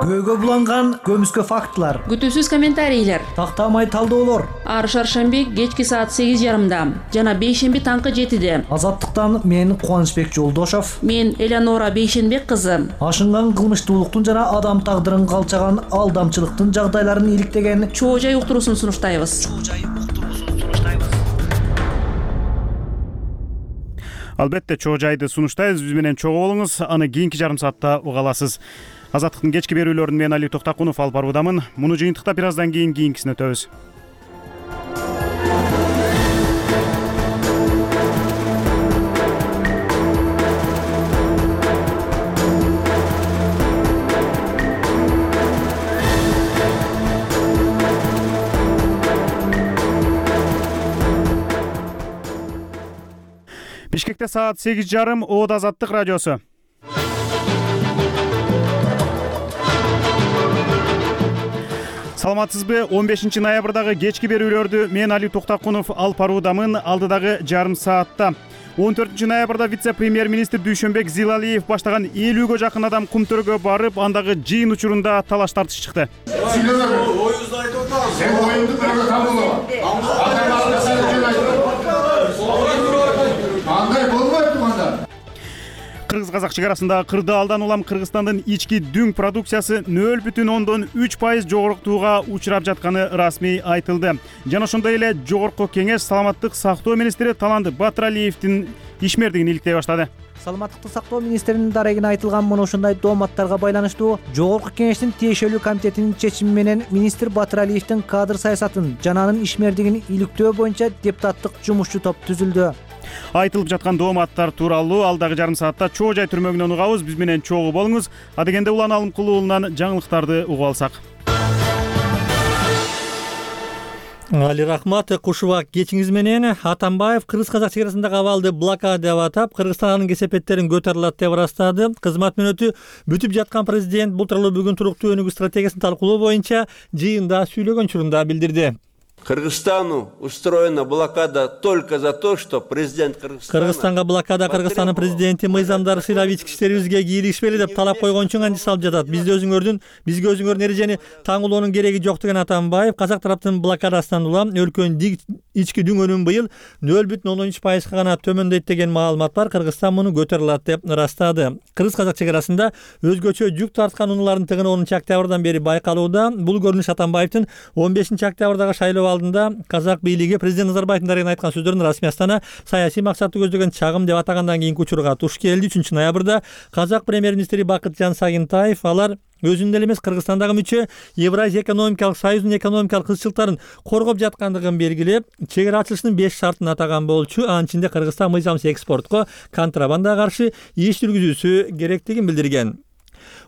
Көйгө буланган көмүскө фактылар, күтүүсүз комментарийлер, тактамай талдоолор. Ар шаршемби кечки саат сегиз жарымда жана бейшемби таңкы жетиде. Азаттыктан мен Кубанычбек Жолдошов, мен Элеонора Бейшенбек кызы. Ашынган кылмыштуулуктун жана адам тагдырын калчаган алдамчылыктын жагдайларын иликтеген чоо жай уктуруусун сунуштайбыз. Албетте чогуу жайды сунуштайбыз, биз менен чогуу болуңуз, аны кийинки жарым саатта уга аласыз. Азаттыктын кечки берүүлөрүн мен Али Токтакунов алып баруудамын. Муну жыйынтыктап бир аздан кийин кийинкисине өтөбүз. Бишкекте саат сегиз жарым, Оод Азаттык радиосу. Саламатсызбы? он бешинчи ноябрдагы кечки берүүлөрдү мен Али Токтакунов алып баруудамын. Алдыдагы жарым саатта он төртүнчү ноябрда вице-премьер-министр Дүйшөнбек Зилалиев баштаган элүүгө жакын адам Кумтөргө барып, андагы жыйын учурунда талаш тартыш чыкты. Оюңузду айтып атабыз. Сен оюңду бирөөгө табылып. Кандай болбойт мында? Кыргыз-казак чегарасында кырдаалдан улам Кыргызстандын ички дүң продукциясы нөл бүтүн ондон үч пайыз жогорктууга учурап жатканы расмий айтылды. Жана ошондой эле жогорку кеңеш саламаттык сактоо министри Талант Батыралиевдин ишмердигин иликтей баштады. Саламаттыкты сактоо министринин дарегине айтылган мына ушундай дооматтарга байланыштуу жогорку кеңештин тиешелүү комитетинин чечими менен министр Батыралиевдин кадр саясатын жана анын ишмердигин иликтөө боюнча депутаттык жумушчу топ түзүлдү. Айтылып жаткан дооматтар тууралуу алдагы жарым саатта чогуу жай түрмөгүнөн угабыз. Биз менен чогуу болуңуз. Адегенде Улан Алымкулуу уулунан жаңылыктарды угуп алсак. Али рахмат, куш убак кечиңиз менен. Атамбаев кыргыз-казак чегарасындагы абалды блокада деп атап, Кыргызстан анын кесепеттерин көтөрүлөт деп ырастады. Кызмат мөөнөтү бүтүп жаткан президент бул тууралуу бүгүн туруктуу өнүгүү стратегиясын талкуулоо боюнча жыйында сүйлөгөн учурунда билдирди. Кыргызстану устроена блокада только за то, что президент Кыргызстана... Кыргызстанга блокада Кыргызстандын президенти Мыйзамдар сыйлап ички иштерибизге кийлигишпели деп талап койгон үчүн анча салып жатат. Бизде өзүңөрдүн, бизге өзүңөрдүн эрежени таңуулоонун кереги жок деген Атамбаев, казак тараптын блокадасынан улам өлкөнүн ички дүң өнүмү быйыл нөл бүтүн ондон үч пайызга гана төмөндөйт деген маалымат бар. Кыргызстан муну көтөрө алат деп ырастады. Кыргыз-казак чегарасында өзгөчө жүк тарткан унаалардын тыгыны онунчу октябрдан бери байкалууда. Бул көрүнүш Атамбаевдин он бешинчи октябрдагы шайлоо алдында казак бийлиги президент Назарбаевдин дарегине айткан сөздөрүн расмий Астана саясий максатты көздөгөн чагым деп атагандан кийинки учурга туш келди. үчүнчү ноябрда казак премьер-министри Бакытжан Сагынтаев алар өзүнүн эле эмес Кыргызстандагы мүчө Евразия экономикалык союзунун экономикалык кызчылыктарын коргоп жаткандыгын белгилеп, чегара ачылышынын беш шартын атаган болчу. Анын ичинде Кыргызстан мыйзамсыз экспортко, контрабандага каршы иш жүргүзүүсү керектигин билдирген.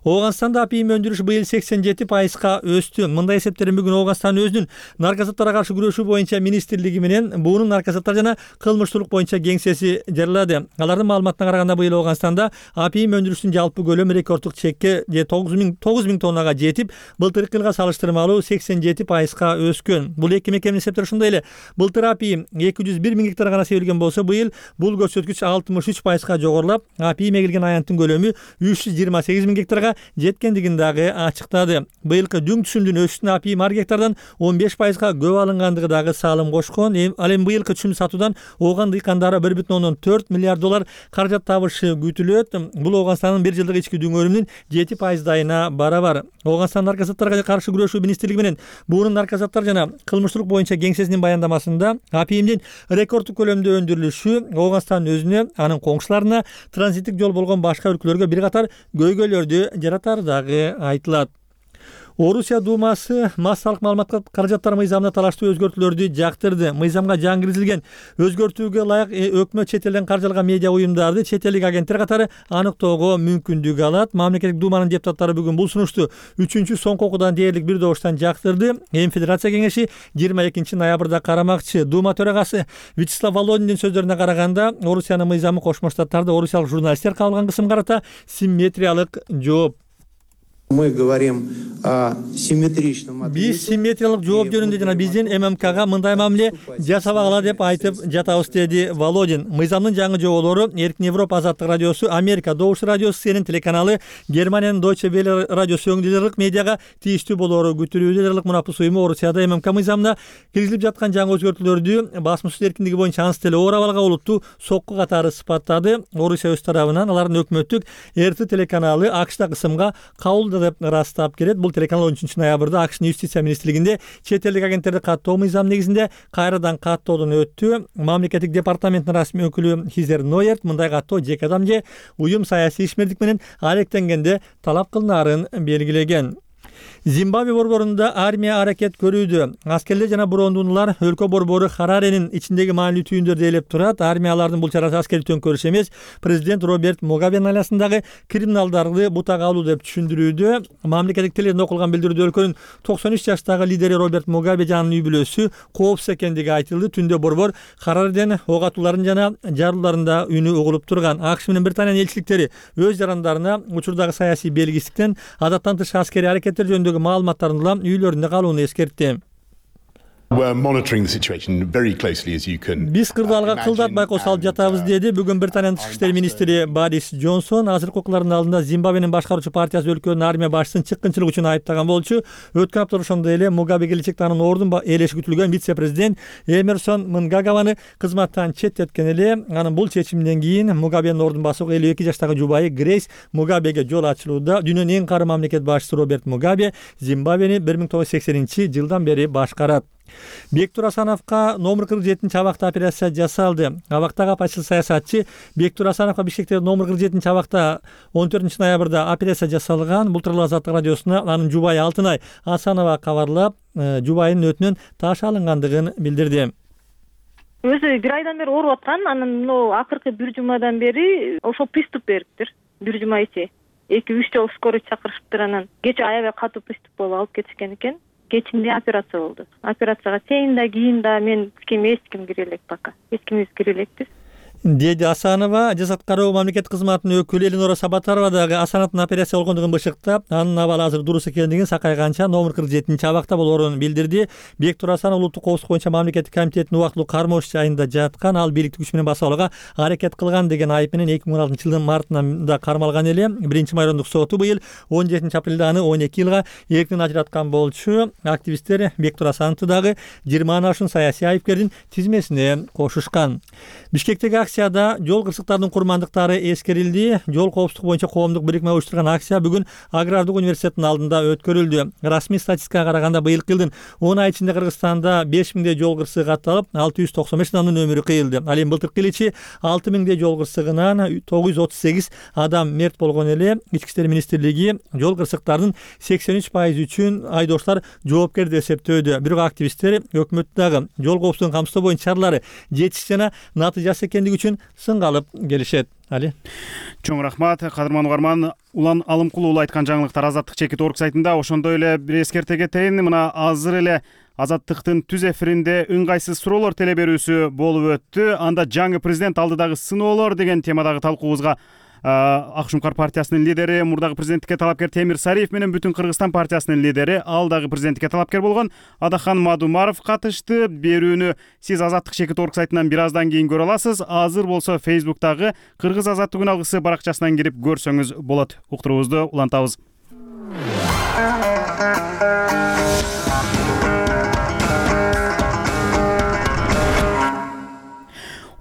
Ооганстанда апийим өндүрүш быйыл сексен жети пайызга өстү. Мындай эсептерин бүгүн Ооганстан өзүнүн наркотиктерге каршы күрөшүү боюнча министрлиги менен буунун наркотиктер жана кылмыштуулук боюнча кеңсеси жарыялады. Алардын маалыматына караганда быйыл Ооганстанда апийим өндүрүштүн жалпы көлөмү рекорддук чекке тогуз миң тоннага жетип, былтыркы жылга салыштырмалуу сексен жети пайызга өскөн. Бул эки мекеменин эсептери ошондой эле. Былтыр апийим эки жүз бир миң гектар гана себилген болсо, быйыл бул көрсөткүч алтымыш үч пайызга жогорулап, апийим эгилген аянттын көлөмү үч жүз жыйырма сегиз миң гектарга жеткендигин дагы ачыктады. Быйылкы дүң түшүмдүн өсүшүнө апийим ар гектардан он беш пайызга көп алынгандыгы дагы салым кошкон. Ал эми быйылкы түшүм сатуудан Ооган дыйкандары бир бүтүн ондон төрт миллиард доллар каражат табышы күтүлөт. Бул Ооганстандын бир жылдык ички дүң өнүмүнүн жети пайыздайына барабар. Ооганстан наркотиктерге каршы күрөшүү министрлиги менен буунун наркотиктер жана кылмыштуулук боюнча кеңсесинин баяндамасында апийимдин рекорддук көлөмдө өндүрүлүшү Ооганстандын өзүнө, анын коңшуларына транзиттик жол болгон башка өлкөлөргө бир катар көйгөйлөрдү жаратары дагы айтылат. Орусия Думасы массалык маалыматка каражаттар мыйзамына талаштуу өзгөртүүлөрдү жактырды. Мыйзамга жаңы киргизилген өзгөртүүгө ылайык өкмөт чет элден каржылган медиа уюмдарды чет элдик агенттер катары аныктоого мүмкүндүк алат. Мамлекеттик думанын депутаттары бүгүн бул сунушту үчүнчү соңку окуудан дээрлик бир добуштан жактырды. Эми Федерация кеңеши жыйырма экинчи ноябрда карамакчы. Дума төрагасы Вячеслав Володиндин сөздөрүнө караганда, Орусиянын мыйзамы Кошмо Штаттарда орусиялык журналисттер кабылган кысымга карата симметриялык жооп. Мы говорим о симметричном ответе. Биз симметриялык жооп жөнүндө жана биздин ММКга мындай мамиле жасабагыла деп айтып жатабыз, деди Володин. Мыйзамдын жаңы жоболору Эркин Европа Азаттык радиосу, Америка Добуш радиосу, Сенин телеканалы, Германиянын Deutsche Welle радиосу өңдүлөрүк медиага тийиштүү болоору күтүлүүдө. Дерлик мунапыс уюму Орусияда ММК мыйзамына киргизилип жаткан жаңы өзгөртүүлөрдү басмасөз эркиндиги боюнча анс деле оор абалга олуттуу сокку катары сыпаттады. Орусия өз тарабынан алардын өкмөттүк эр тэ телеканалы АКШда кысымга кабыл деп ырастап келет. Бул телеканал он үчүнчү ноябрда АКШнын юстиция министрлигинде чет элдик агенттерди каттоо мыйзам негизинде кайрадан каттоодон өттү. Мамлекеттик департаменттин расмий өкүлү Хизер Нойерт мындай каттоо жеке адам же уюм саясий ишмердик менен алектенгенде талап кылынаарын белгилеген. Зимбабве борборунда армия аракет көрүүдө. Аскерлер жана брондунлар өлкө борбору Хараренин ичиндеги маанилүү түйүндөрдү ээлеп турат. Армиялардын бул чарасы аскердик төңкөрүш эмес, президент Роберт Мугабенин айласындагы криминалдарды бутага алуу деп түшүндүрүүдө. Мамлекеттик телевизиондо окулган билдирүүдө өлкөнүн токсон үч жаштагы лидери Роберт Мугабе жанын үй бүлөсү коопсуз экендиги айтылды. Түндө борбор Харарден ок атууларын жана жарылууларында үнү угулуп турган. АКШ менен Британиянын элчиликтери өз жарандарына учурдагы саясий белгисиздиктен адаттан тыш аскерий аракеттер жөнүндөгү маалыматтарын улам үйлөрүндө калууну эскертти. Биз кырдаалга кылдат байкоосу алып жатабыз, деди бүгүн Британиянын тышкы иштер министри Борис Джонсон. Азыркы укуклардын алдында Зимбабвенин башкаруучу партиясы өлкөнүн армия башчысын чыккынчылык үчүн айыптаган болчу. Өткөн апта ошондой эле Мугабе келечекте анын ордун ээлеши күтүлгөн вице-президент Эмерсон Мнгагаваны кызматтан четтеткен эле. Анын бул чечиминен кийин Мугабенин ордун басууга элүү эки жаштагы жубайы Грейс Мугабеге жол ачылууда. Дүйнөнүн эң кары мамлекет башчысы Роберт Мугабе Зимбабвени бир миң тогуз жүз сексенинчи жылдан бери башкарат. Бектур Асановго номер кырк жетинчи абакта операция жасалды. Абактагы апачыл саясатчы Бектур Асановго Бишкектеги номер кырк жетинчи абакта он төртүнчү ноябрда операция жасалган. Бул тууралуу Азаттык радиосуна анын жубайы Алтынай Асанова кабарлап, жубайынын өтүнөн таш алынгандыгын билдирди. Өзү бир айдан бери ооруп аткан, анан мына акыркы бир жумадан бери ошол приступ бериптир. Бир жума ичи эки үч жолу скорый чакырышыптыр, анан кечээ аябай катуу приступ болуп алып кетишкен экен. Кечинде операция болду. Операцияга чейин да, кийин да мен ким эч ким кире элек пока. Эч кимибиз кире элекпиз. Деди Асанова. Жасат кароо мамлекет кызматынын өкүлү Элинора Сабатарова дагы Асановдун операция болгондугун бышыктап, анын абалы азыр дурус экендигин, сакайганча номер кырк жетинчи абакта болоорун билдирди. Бектур Асанов улуттук коопсуздук боюнча мамлекеттик комитеттин убактылуу кармош жайында жаткан, ал бийликтик күч менен басып алууга аракет кылган деген айып менен эки миң он алтынчы жылдын мартында кармалган эле. Биринчи майрондук соту быйыл он жетинчи апрелде аны он эки жылга эркинен ажыраткан болчу. Активисттер Бектур Асановду дагы жыйырмадан ашуун саясий айыпкердин тизмесине кошушкан. Бишкектеги акцияда жол кырсыктардын курмандыктары эскерилди. Жол коопсуздугу боюнча коомдук бирикме уюштурган акция бүгүн Агрардык университеттин алдында өткөрүлдү. Расмий статистикага караганда быйылкы жылдын он ай ичинде Кыргызстанда беш миңдей жол кырсыгы катталып, алты жүз токсон беш адамдын өмүрү кыйылды. Ал эми былтыркы эл ичи алты миңдей жол кырсыгынан тогуз жүз отуз сегиз адам мерт болгон эле. Ички иштер министрлиги жол кырсыктарынын сексен үч пайызы үчүн айдоочулар жоопкер деп эсептөөдө. Бирок активисттер өкмөттү дагы жол коопсуздугун камсыздоо боюнча чаралары жетишсиз жана натыйжасыз экендиги үчүн сынга алып келишет. Али. Чоң рахмат, кадырман угарман. Улан Алымкул уулу айткан жаңылыктар Азаттык чекит орг сайтында. Ошондой эле бир эскерте кетейин. Мына азыр эле Азаттыктын түз эфиринде ыңгайсыз суроолор теле берүүсү болуп өттү. Анда жаңы президент алдыдагы сыноолор деген темадагы талкуубузга Ак Шумкар партиясынын лидери, мурдагы президенттикке талапкер Темир Сариев менен Бүтүн Кыргызстан партиясынын лидери, ал дагы президенттикке талапкер болгон Адахан Мадумаров катышты. Берүүнү сиз Азаттык чекит орг сайтынан бир аздан кийин көрө аласыз. Азыр болсо Facebook'тагы Кыргыз Азаттык күн алгысы баракчасынан кирип көрсөңүз болот. Уктуруубузду улантабыз.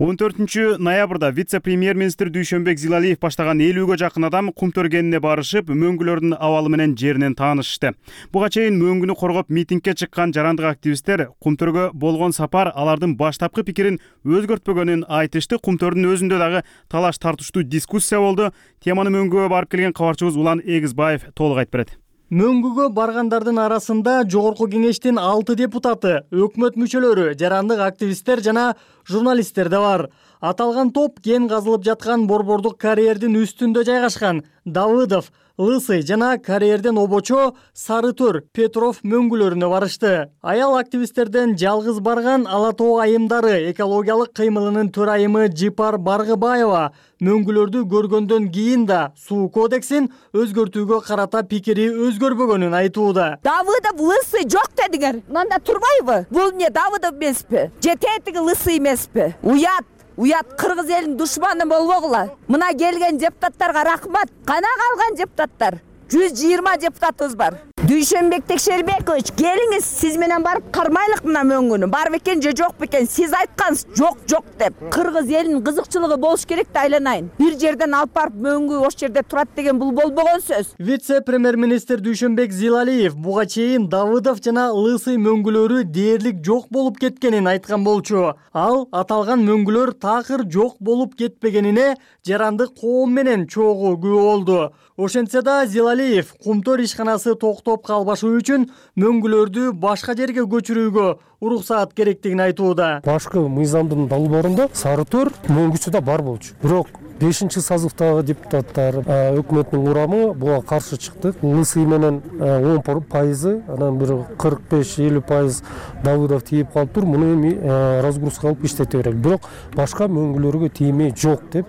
он төртүнчү ноябрда вице-премьер-министр Дүйшөнбек Зилалиев баштаган элүүгө жакын адам кум төргенине барышып, мөңгүлөрдүн абалы менен жеринен таанышты. Буга чейин мөңгүнү коргоп митингге чыккан жарандык активисттер Кумтөргө болгон сапар алардын баштапкы пикирин өзгөртпөгөнүн айтышты. Кумтөрдүн өзүндө дагы талаш тартыштуу дискуссия болду. Теманы мөңгүгө барып келген кабарчыбыз Улан Эгизбаев толук айтып берет. Мөңгүгө баргандардын арасында Жогорку кеңештин алты депутаты, өкмөт мүчөлөрү, жарандык активисттер жана журналисттер да бар. Аталган топ кен казылып жаткан борбордук карьердин үстүндө жайгашкан Давыдов, Лысый жана карьерден обочо Сарытөр, Петров мөңгүлөрүнө барышты. Аял активисттерден жалгыз барган Ала Тоо айымдары экологиялык кыймылынын төрайымы Жипар Баргыбаева мөңгүлөрдү көргөндөн кийин да суу кодексин өзгөртүүгө карата пикири өзгөрбөгөнүн айтууда. Давыдов Лысый жок дедиңер. Мында турбайбы? Бул эмне Давыдов эмеспи? Же тетиги Лысый эмеспи? Уят. Уят кыргыз элинин душманы болбогула. Мына келген депутаттарга рахмат. Кана калган депутаттар? жүз жыйырма депутатыбыз бар. Дүйшөнбек Текшербекович, келиңиз, сиз менен барып кармайлык мына мөңгүнү. Бар бекен же жок бекен? Сиз айткансыз, жок, жок деп. Кыргыз элинин кызыкчылыгы болуш керек да айланайын. Бир жерден алып барып мөңгү ош жерде турат деген бул болбогон сөз. Вице-премьер-министр Дүйшөнбек Зилалиев буга чейин Давыдов жана Лысый мөңгүлөрү дээрлик жок болуп кеткенин айткан болчу. Ал аталган мөңгүлөр такыр жок болуп кетпегенине жарандык коом менен чогуу күбө болду. Ошентсе да Зилалиев Кумтөр ишканасы токтоп калбашы үчүн мөңгүлөрдү башка жерге көчүрүүгө уруксаат керектигин айтууда. Башкы мыйзамдын долбоорунда Сары Төр мөңгүсү да бар болчу. Бирок бешинчи созывдагы депутаттар өкмөттүн курамы буга каршы чыкты. Лысый менен он пайызы, анан бир кырк беш элүү пайыз Давыдов тийип калыптыр. Муну эми разгрузка кылып иштете берели. Бирок башка мөңгүлөргө тиймей жок деп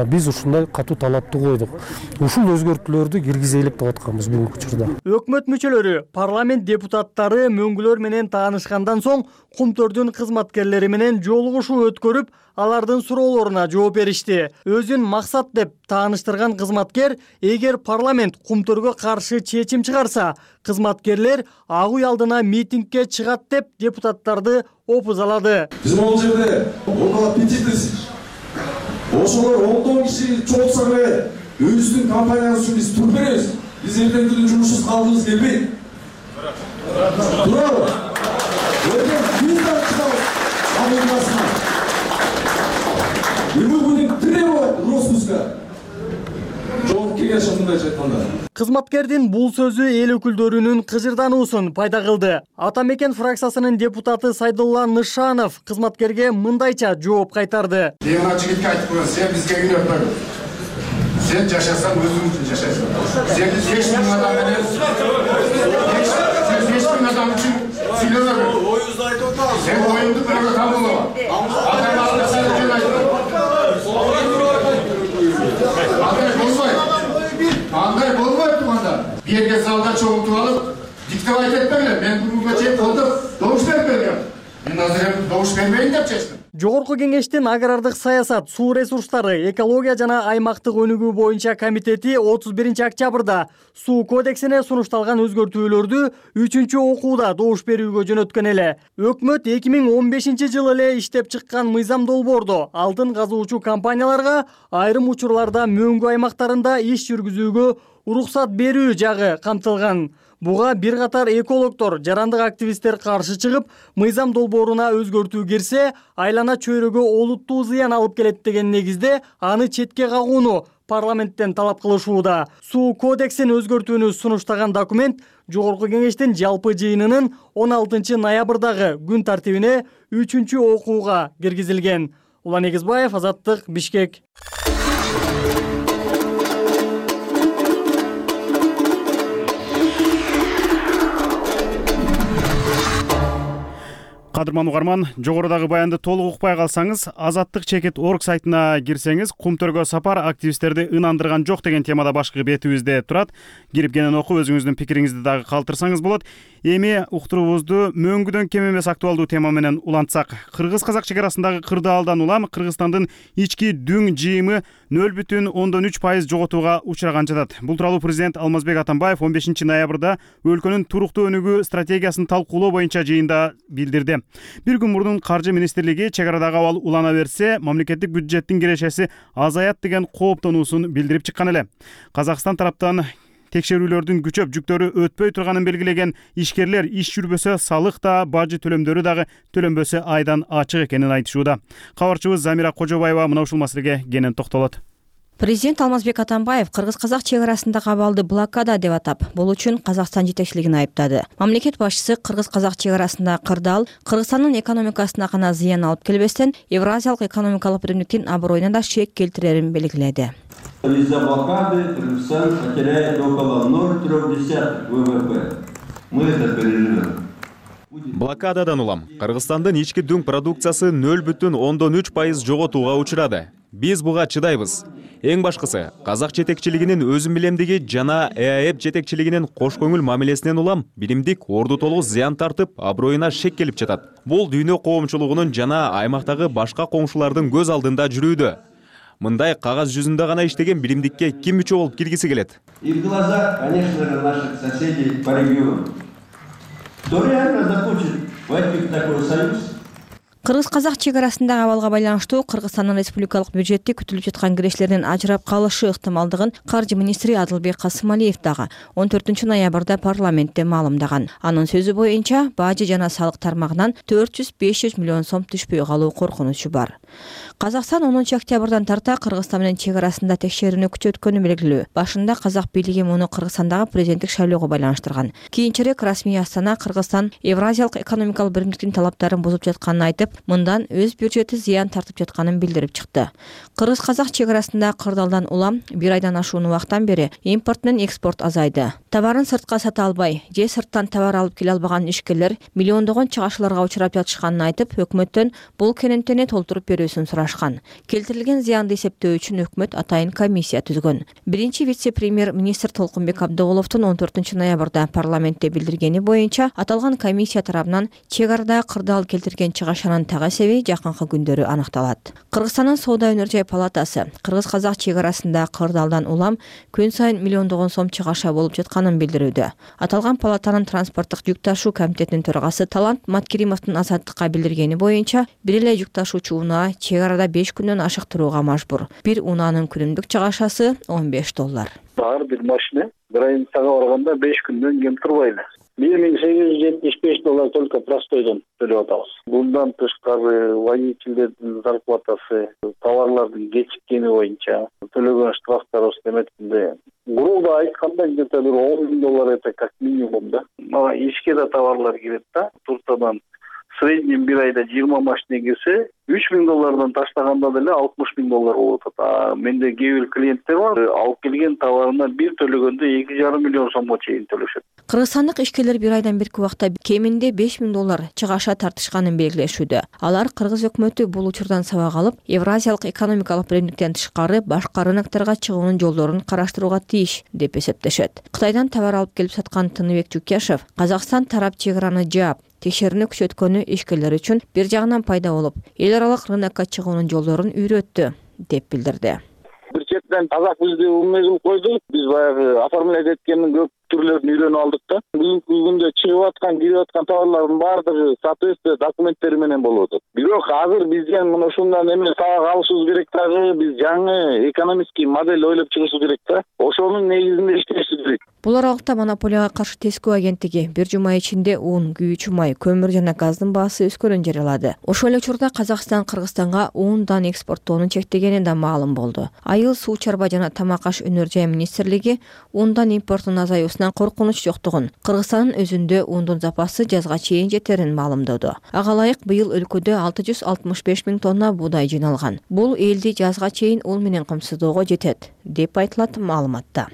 биз ушундай катуу талапты койдук. Ушул өзгөртүүлөрдү киргизелик деп атканбыз бүгүнкү учурда. Өкмөт мүчөлөрү, парламент депутаттары мөңгүлөр менен таанышкандан соң Кумтөрдүн кызматкерлери менен жолугушуу өткөрүп, алардын суроолоруна жооп беришти. Өзүн максат деп тааныштырган кызматкер, эгер парламент Кумтөргө каршы чечим чыгарса, кызматкерлер ак үй алдына митингге чыгат деп депутаттарды опузалады. Биз могул жерде около пяти тысяч. Ошолор ондон киши чогулса эле өзүбүздүн компаниябыз үчүн биз тур беребиз. Биз эртеңки күнү жумушсуз калгыбыз келбейт. Турабы? Эртең биз да чыгабыз абылдасына. Мы будем требовать распуска. Жооп келиши мындайча айтканда. Кызматкердин бул сөзү эл өкүлдөрүнүн кыжырдануусун пайда кылды. Ата Мекен фракциясынын депутаты Сайдулла Нышанов кызматкерге мындайча жооп кайтарды. Мен ана жигитке айтып коем, сен бизге үйрөтпө. Сен жашасаң өзүң үчүн жашайсың. Сен беш миң адам менен беш миң адам үчүн сүйлөбө бер. Оюңузду айтып атабыз. Сен оюңду бирөөгө камалаба. Адам алдында сен үчүн айтып. Андай болбойт. Андай болбойт туганда. Бир жерге залда чогултуп алып, диктеп айтып берген. Мен бүгүнкү чейин колдоп добуш берип бергем. Мен азыр эми добуш бермейин деп чечтим. Жогорку кеңештин агрардык саясат, суу ресурстары, экология жана аймактык өнүгүү боюнча комитети отуз биринчи октябрда суу кодексине сунушталган өзгөртүүлөрдү үчүнчү окууда добуш берүүгө жөнөткөн эле. Өкмөт эки миң он бешинчи жылы эле иштеп чыккан мыйзам долбоордо алтын казуучу компанияларга айрым учурларда мөңгү аймактарында иш жүргүзүүгө уруксат берүү жагы камтылган. Буга бир катар экологдор, жарандык активисттер каршы чыгып, мыйзам долбооруна өзгөртүү кирсе, айлана чөйрөгө олуттуу зыян алып келет деген негизде аны четке кагууну парламенттен талап кылышууда. Суу кодексин өзгөртүүнү сунуштаган документ Жогорку кеңештин жалпы жыйынынын он алтынчы ноябрдагы күн тартибине үчүнчү окууга киргизилген. Улан Эгизбаев, Азаттык, Бишкек. Кадырман угарман, жогорудагы баянды толук укпай калсаңыз, Азаттык чекит точка орг сайтына кирсеңиз, Кумтөргө сапар активисттерди ынандырган жок деген темада башкы бетибизде турат. Кирип кенен окуп, өзүңүздүн пикириңизди дагы калтырсаңыз болот. Эми уктуруубузду мөңгүдөн кем эмес актуалдуу тема менен улантсак. Кыргыз-казак чек арасындагы кырдаалдан улам Кыргызстандын ички дүң жыйымы нөл бүтүн ондон үч пайыз жоготууга учураган жатат. Бул тууралуу президент Алмазбек Атамбаев он бешинчи ноябрда өлкөнүн туруктуу өнүгүү стратегиясын талкуулоо боюнча жыйында билдирди. Бир күн мурдун каржы министрлиги чек арадагы абал улана берсе, мамлекеттик бюджеттин кирешеси азаят деген кооптонуусун билдирип чыккан эле. Казакстан тараптан текшерүүлөрдүн күчөп жүктөрү өтпөй турганын белгилеген ишкерлер иш жүрбөсө салык да, бажы төлөмдөрү дагы төлөнбөсө айдан ачык экенин айтышууда. Кабарчыбыз Замира Кожобаева мына ушул маселеге кенен токтолот. Президент Алмазбек Атамбаев кыргыз-казак чек арасындагы абалды блокада деп атап, бул үчүн Казакстан жетекчилигин айыптады. Мамлекет башчысы кыргыз-казак чек арасындагы кырдаал Кыргызстандын экономикасына гана зыян алып келбестен, Евразиялык экономикалык биримдиктин аброюна да шек келтирерин белгиледи. Из-за блокады Кыргызстан потеряет около ноль целых три десятых вэ вэ пэ. Мы это переживем. Блокададан улам Кыргызстандын ички дүң продукциясы нөл бүтүн ондон үч пайыз жоготууга учурады. Биз буга чыдайбыз. Эң башкысы, казак жетекчилигинин өзүм билемдиги жана э а эп жетекчилигинин кош көңүл мамилесинен улам биримдик орду толук зыян тартып, аброюна шек келип жатат. Бул дүйнө коомчулугунун жана аймактагы башка коңшулардын көз алдында жүрүүдө. мындай кагаз жүзүндө гана иштеген биримдикке ким мүчө болуп киргиси келет? И в глаза, конечно же, наших соседей по региону. Кто реально захочет войти в такой союз? Кыргыз-казак чек арасындагы абалга байланыштуу Кыргызстандын республикалык бюджетти күтүлүп жаткан кирештердин ажырап калышы ыктымалдыгын каржы министри Адылбек Касымалиев дагы он төртүнчү ноябрда парламентте маалымдаган. Анын сөзү боюнча, бажы жана салык тармагынан төрт жүз беш жүз миллион сом түшпөй калуу коркунучу бар. Казакстан онунчу октябрдан тарта Кыргызстан менен чек арасында текшерүүнү күчөткөнү белгилүү. Башында казак бийлиги муну Кыргызстандагы президенттик шайлоого байланыштырган. Кийинчерээк расмий Астана Кыргызстан Евразиялык экономикалык биримдиктин талаптарын бузуп жатканын айтып, мындан өз бюджети зыян тартып жатканын билдирип чыкты. Кыргыз-казак чек арасында кырдаалдан улам бир айдан ашуун убакыттан бери импорт менен экспорт азайды. Товарын сыртка сата албай, же сырттан товар алып келе албаган ишкерлер миллиондогон чыгашууларга учурап жатышканын айтып, өкмөттөн бул кененттени толтуруп берүүсүн сурашкан. Келтирилген зыянды эсептөө үчүн өкмөт атайын комиссия түзгөн. Биринчи вице-премьер-министр Толкунбек Абдыголовдун он төртүнчү ноябрда парламентте билдиргени боюнча, аталган комиссия тарабынан чек арада кырдаал келтирген чыгашанын таг эсеби жакынкы күндөрү аныкталат. Кыргызстандын соода өнөр жай палатасы Кыргыз-казак чек арасында кырдаалдан улам күн сайын миллиондогон сом чыгаша болуп жатканын билдирүүдө. Аталган палатанын транспорттук жүк ташуу комитетинин төрагасы Талант Маткеримовдун Азаттыкка билдиргени боюнча, бир эле жүк ташуучу унаа чек арада беш күндөн ашыктырууга мажбур. Бир унаанын күнүмдүк чыгашасы он беш доллар. Ар бир машина бир айын сага барганда беш күндөн кем турбайт. бир миң сегиз жүз жетимиш беш доллар только простойдон төлөп атабыз. Bundan тышкары водительдердин зарплатасы, товарлардын кечиккени боюнча төлөгөн штрафтар эметинде. Грубо айтканда где-то бир он миң доллар это как минимум да. Мага ишке да товарлар кирет да. Туртадан в среднем бир айда жыйырма машина кирсе, үч миң доллардан таштаганда деле алтымыш миң доллар болуп атат. А менде кээ бир клиенттер бар, алып келген товарына бир төлөгөндө эки жарым миллион сомго чейин төлөшөт. Кыргызстандык ишкерлер бир айдан бирки убакта кеминде беш миң доллар чыгаша тартышканын белгилешүүдө. Алар Кыргыз өкмөтү бул учурдан сабак алып, Евразиялык экономикалык биримдиктен тышкары башка рынокторго чыгуунун жолдорун караштырууга тийиш деп эсептешет. Кытайдан товар алып келип саткан Тыныбек Жукешев, Казакстан тарап чек араны жаап, текшерүүнү күчөткөнү ишкерлер үчүн бир жагынан пайда болуп, эл аралык рынокко чыгуунун жолдорун үйрөттү деп билдирди. Бир четен казак бизди умне кылып койду. Биз баягы оформлять эткендин көп түрлөрүн үйрөнүп алдык да. Бүгүнкү күндө чыгып аткан, кирип аткан товарлардын баардыгы соответствие документтери менен болуп атат. Бирок азыр бизден мына ушундан эме сабак алышыбыз керек дагы, биз жаңы экономический модель ойлоп чыгышыбыз керек да. Ошонун негизинде иштешибиз керек. Бул аралыкта монополияга каршы тескөө агенттиги бир жума ичинде ун, күйүүчү май, көмүр жана газдын баасы өскөнүн жарыялады. Ошол эле учурда Казакстан Кыргызстанга ундан экспорттоону чектегени да маалым болду. Айыл, суу чарба жана тамак аш өнөр жай министрлиги ундан импорттун азаюусунан коркунуч жоктугун, Кыргызстандын өзүндө ундун запасы жазга чейин жетерин маалымдоду. Ага ылайык быйыл өлкөдө алты жүз алтымыш беш миң тонна буудай жыйналган. Бул элди жазга чейин ул менен камсыздоого жетет, деп айтылат маалыматта.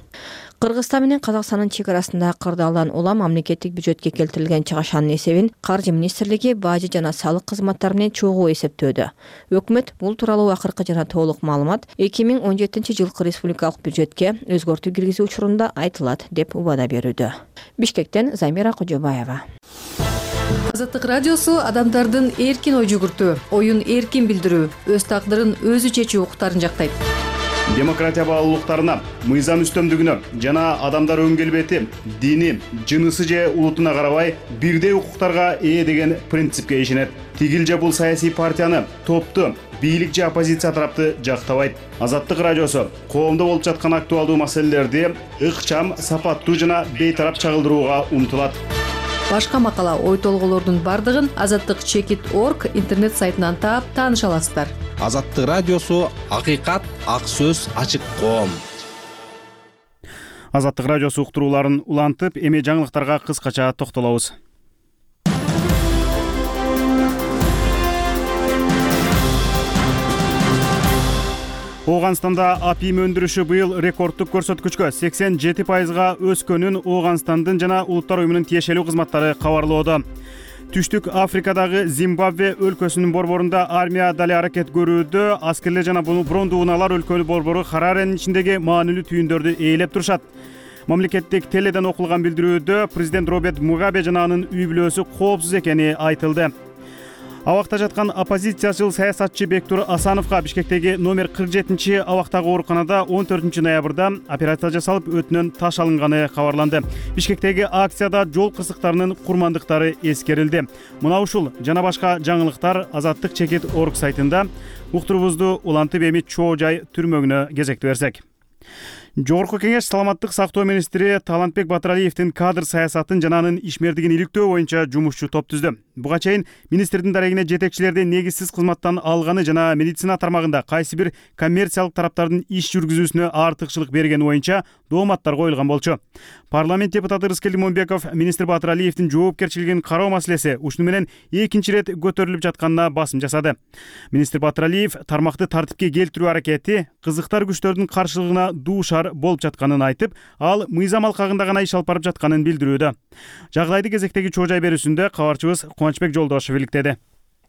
Кыргызстан менен Казакстандын чек арасында кырдаалдан улам мамлекеттик бюджетке келтирилген чыгашанын эсебин каржы министрлиги бажы жана салык кызматтары менен чогуу эсептөөдө. Өкмөт бул тууралуу акыркы жана толук маалымат эки миң он жетинчи жылкы республикалык бюджетке өзгөртүү киргизүү учурунда айтылат деп убада берүүдө. Бишкектен Замира Кожобаева. Азаттык радиосу адамдардын эркин ой жүгүртүү, оюн эркин билдирүү, өз тагдырын өзү чечүү укуктарын жактайт. Демократия баалуулуктарына, мыйзам үстөмдүгүнө жана адамдар өн келбети, дини, жынысы же улутуна карабай бирдей укуктарга ээ деген принципке ишенет. Тигил же бул саясий партияны, топту, бийлик же оппозиция тарапты жактабайт. Азаттык радиосу коомдо болуп жаткан актуалдуу маселелерди ыкчам, сапаттуу жана бейтарап чагылдырууга умтулат. Башка макала, ой толгоолордун бардыгын азаттык чекит точка орг интернет сайтынан таап тааныша аласыздар. Азаттык радиосу акыйкат, ак сөз, ачык коом. Азаттык радиосу уктурууларын улантып, эми жаңылыктарга кыскача токтолобуз. Ооганстанда апим өндүрүшү быйыл рекордтук көрсөткүчкө сексен жети пайызга өскөнүн Ооганстандын жана Улуттар уюмунун тиешелүү кызматтары кабарлоодо. Түштүк Африкадагы Зимбабве өлкөсүнүн борборунда армия дали аракет көрүүдө, аскерлер жана брондуу унаалар өлкөлүк борбору Хараренин ичиндеги маанилүү түйүндөрдү ээлеп турушат. Мамлекеттик теледен окулган билдирүүдө президент Роберт Мугабе жана анын үй бүлөсү коопсуз экени айтылды. Абакта жаткан оппозициячыл саясатчы Бектур Асановго Бишкектеги номер кырк жетинчи абактагы ооруканада он төртүнчү ноябрда операция жасалып, өтүнөн таш алынганы кабарланды. Бишкектеги акцияда жол кырсыктарынын курмандыктары эскерилди. Мына ушул жана башка жаңылыктар Азаттык чекит орг сайтында. Уктурубузду улантып эми чоо жай түрмөгүнө кезекти берсек. Жогорку кеңеш саламаттык сактоо министри Талантбек Батыралиевдин кадр саясатын жана анын ишмердигин иликтөө боюнча жумушчу топ түздү. Буга чейин министрдин дарегине жетекчилерди негизсиз кызматтан алганы жана медицина тармагында кайсы бир коммерциялык тараптардын иш жүргүзүүсүнө артыкчылык бергени боюнча дооматтар коюлган болчу. Парламент депутаты Рыскел Лимонбеков министр Батыралиевдин жоопкерчилигин кароо маселеси ушуну менен экинчи ирет көтөрүлүп жатканына басым жасады. Министр Батыралиев тармакты тартипке келтирүү аракети кызыктар күчтөрдүн каршылыгына дуушар болуп жатканын айтып, ал мыйзам алкагында гана иш алып барып жатканын билдирүүдө. Жагдайды кезектеги чоо жай берүүсүндө кабарчыбыз Кубанычбек Жолдошев иликтеди.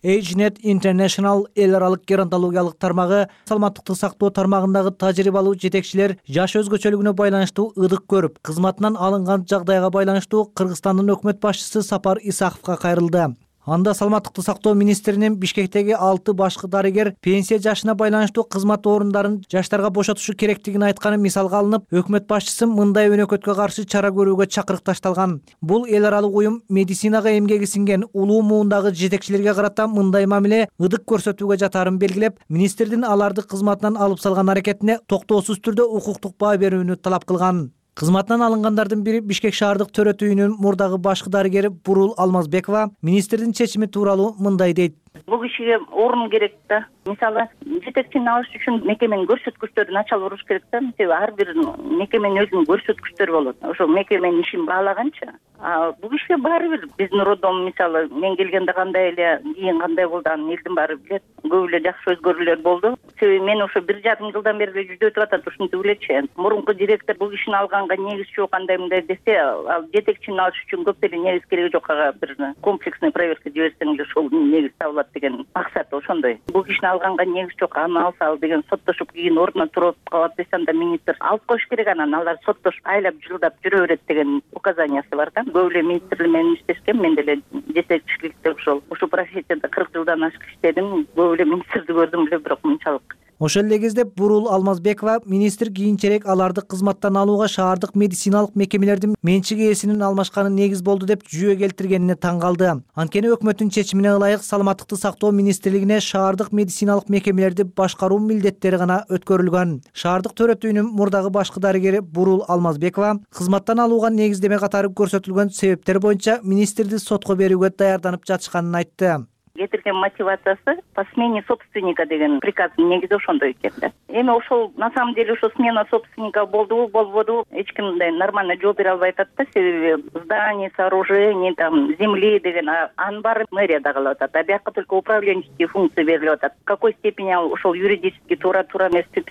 AgeNet International эл аралык геронтологиялык тармагы саламаттыкты сактоо тармагындагы тажрыйбалуу жетекчилер жаш өзгөчөлүгүнө байланыштуу ыдык көрүп, кызматынан алынган жагдайга байланыштуу Кыргызстандын өкмөт башчысы Сапар Исаковго кайрылды. Анда саламаттыкты сактоо министринин Бишкектеги алты башкы дарыгер пенсия жашына байланыштуу кызмат орундарын жаштарга бошотушу керектигин айтканы мисалга алынып, өкмөт башчысы мындай өнөкөткө каршы чара көрүүгө чакырык ташталган. Бул эл аралык уюм медицинага эмгеги сиңген улуу муундагы жетекчилерге карата мындай мамиле ыдык көрсөтүүгө жатаарын белгилеп, министрдин аларды кызматынан алып салган аракетине токтоосуз түрдө укуктук баа берүүнү талап кылган. Кызматынан алынгандардын бири Бишкек шаардык төрөт үйүнүн мурдагы башкы дарыгери Бурул Алмазбекова министрдин чечими тууралуу мындай дейт. Бул кишиге орун керек да. Мисалы, жетекчини алыш үчүн мекеменин көрсөткүчтөрүн ача алып туруш керек да. Себеби ар бир мекеменин өзүнүн көрсөткүчтөрү болот. Ошо мекеменин ишин баалаганча, а бул кишиге баары бир биздин роддом мисалы мен келгенде кандай эле, кийин кандай болду анын элдин баары билет. Көп эле жакшы өзгөрүүлөр болду. Себеби мен ошо бир жарым жылдан бери жүздөп өтүп атат, ушинтип элечи. Мурунку директор бул кишини алганга негиз жок, кандай мындай десе, ал жетекчини алыш үчүн көп деле негиз кереги жок, ага бир комплексный проверка жиберсең эле ошол негиз табылат деген максат ошондой. Бул кишини алганга негиз жок, аны алса ал деген соттошуп кийин ордуна туруп калат десе, анда министр алып коюш керек, анан алар соттошуп айлап жылдап жүрө берет деген указаниясы бар да. Көп эле министрлер менен иштешкен, мен деле жетекчиликте ошол ушу профессияда кырк жылдан ашык иштедим. Көп эле министрди көрдүм эле, бирок мынчалык. Ошол эле кезде Бурул Алмазбекова министр кийинчерээк аларды кызматтан алууга шаардык медициналык мекемелердин менчик ээсинин алмашканы негиз болду деп жүйө келтиргенине таң калды. Анткени өкмөттүн чечимине ылайык саламаттыкты сактоо министрлигине шаардык медициналык мекемелерди башкаруу милдеттери гана өткөрүлгөн. Шаардык төрөт үйүнүн мурдагы башкы дарыгери Бурул Алмазбекова кызматтан алууга негиздеме катары көрсөтүлгөн себептер боюнча министрди сотко берүүгө даярданып жатышканын айтты. Кетирген мотивациясы по смене собственника деген приказдын негизи ошондой экен да. Эми ошол на самом деле ошо смена собственника болдубу, болбоду, эч ким мындай нормально жооп бере албай атат да. Себеби здание, сооружение, там земли деген анын баары мэрияда калып атат. А бияка только управленческие функции берилип атат. В какой степени ошол юридически туура туура эмес биз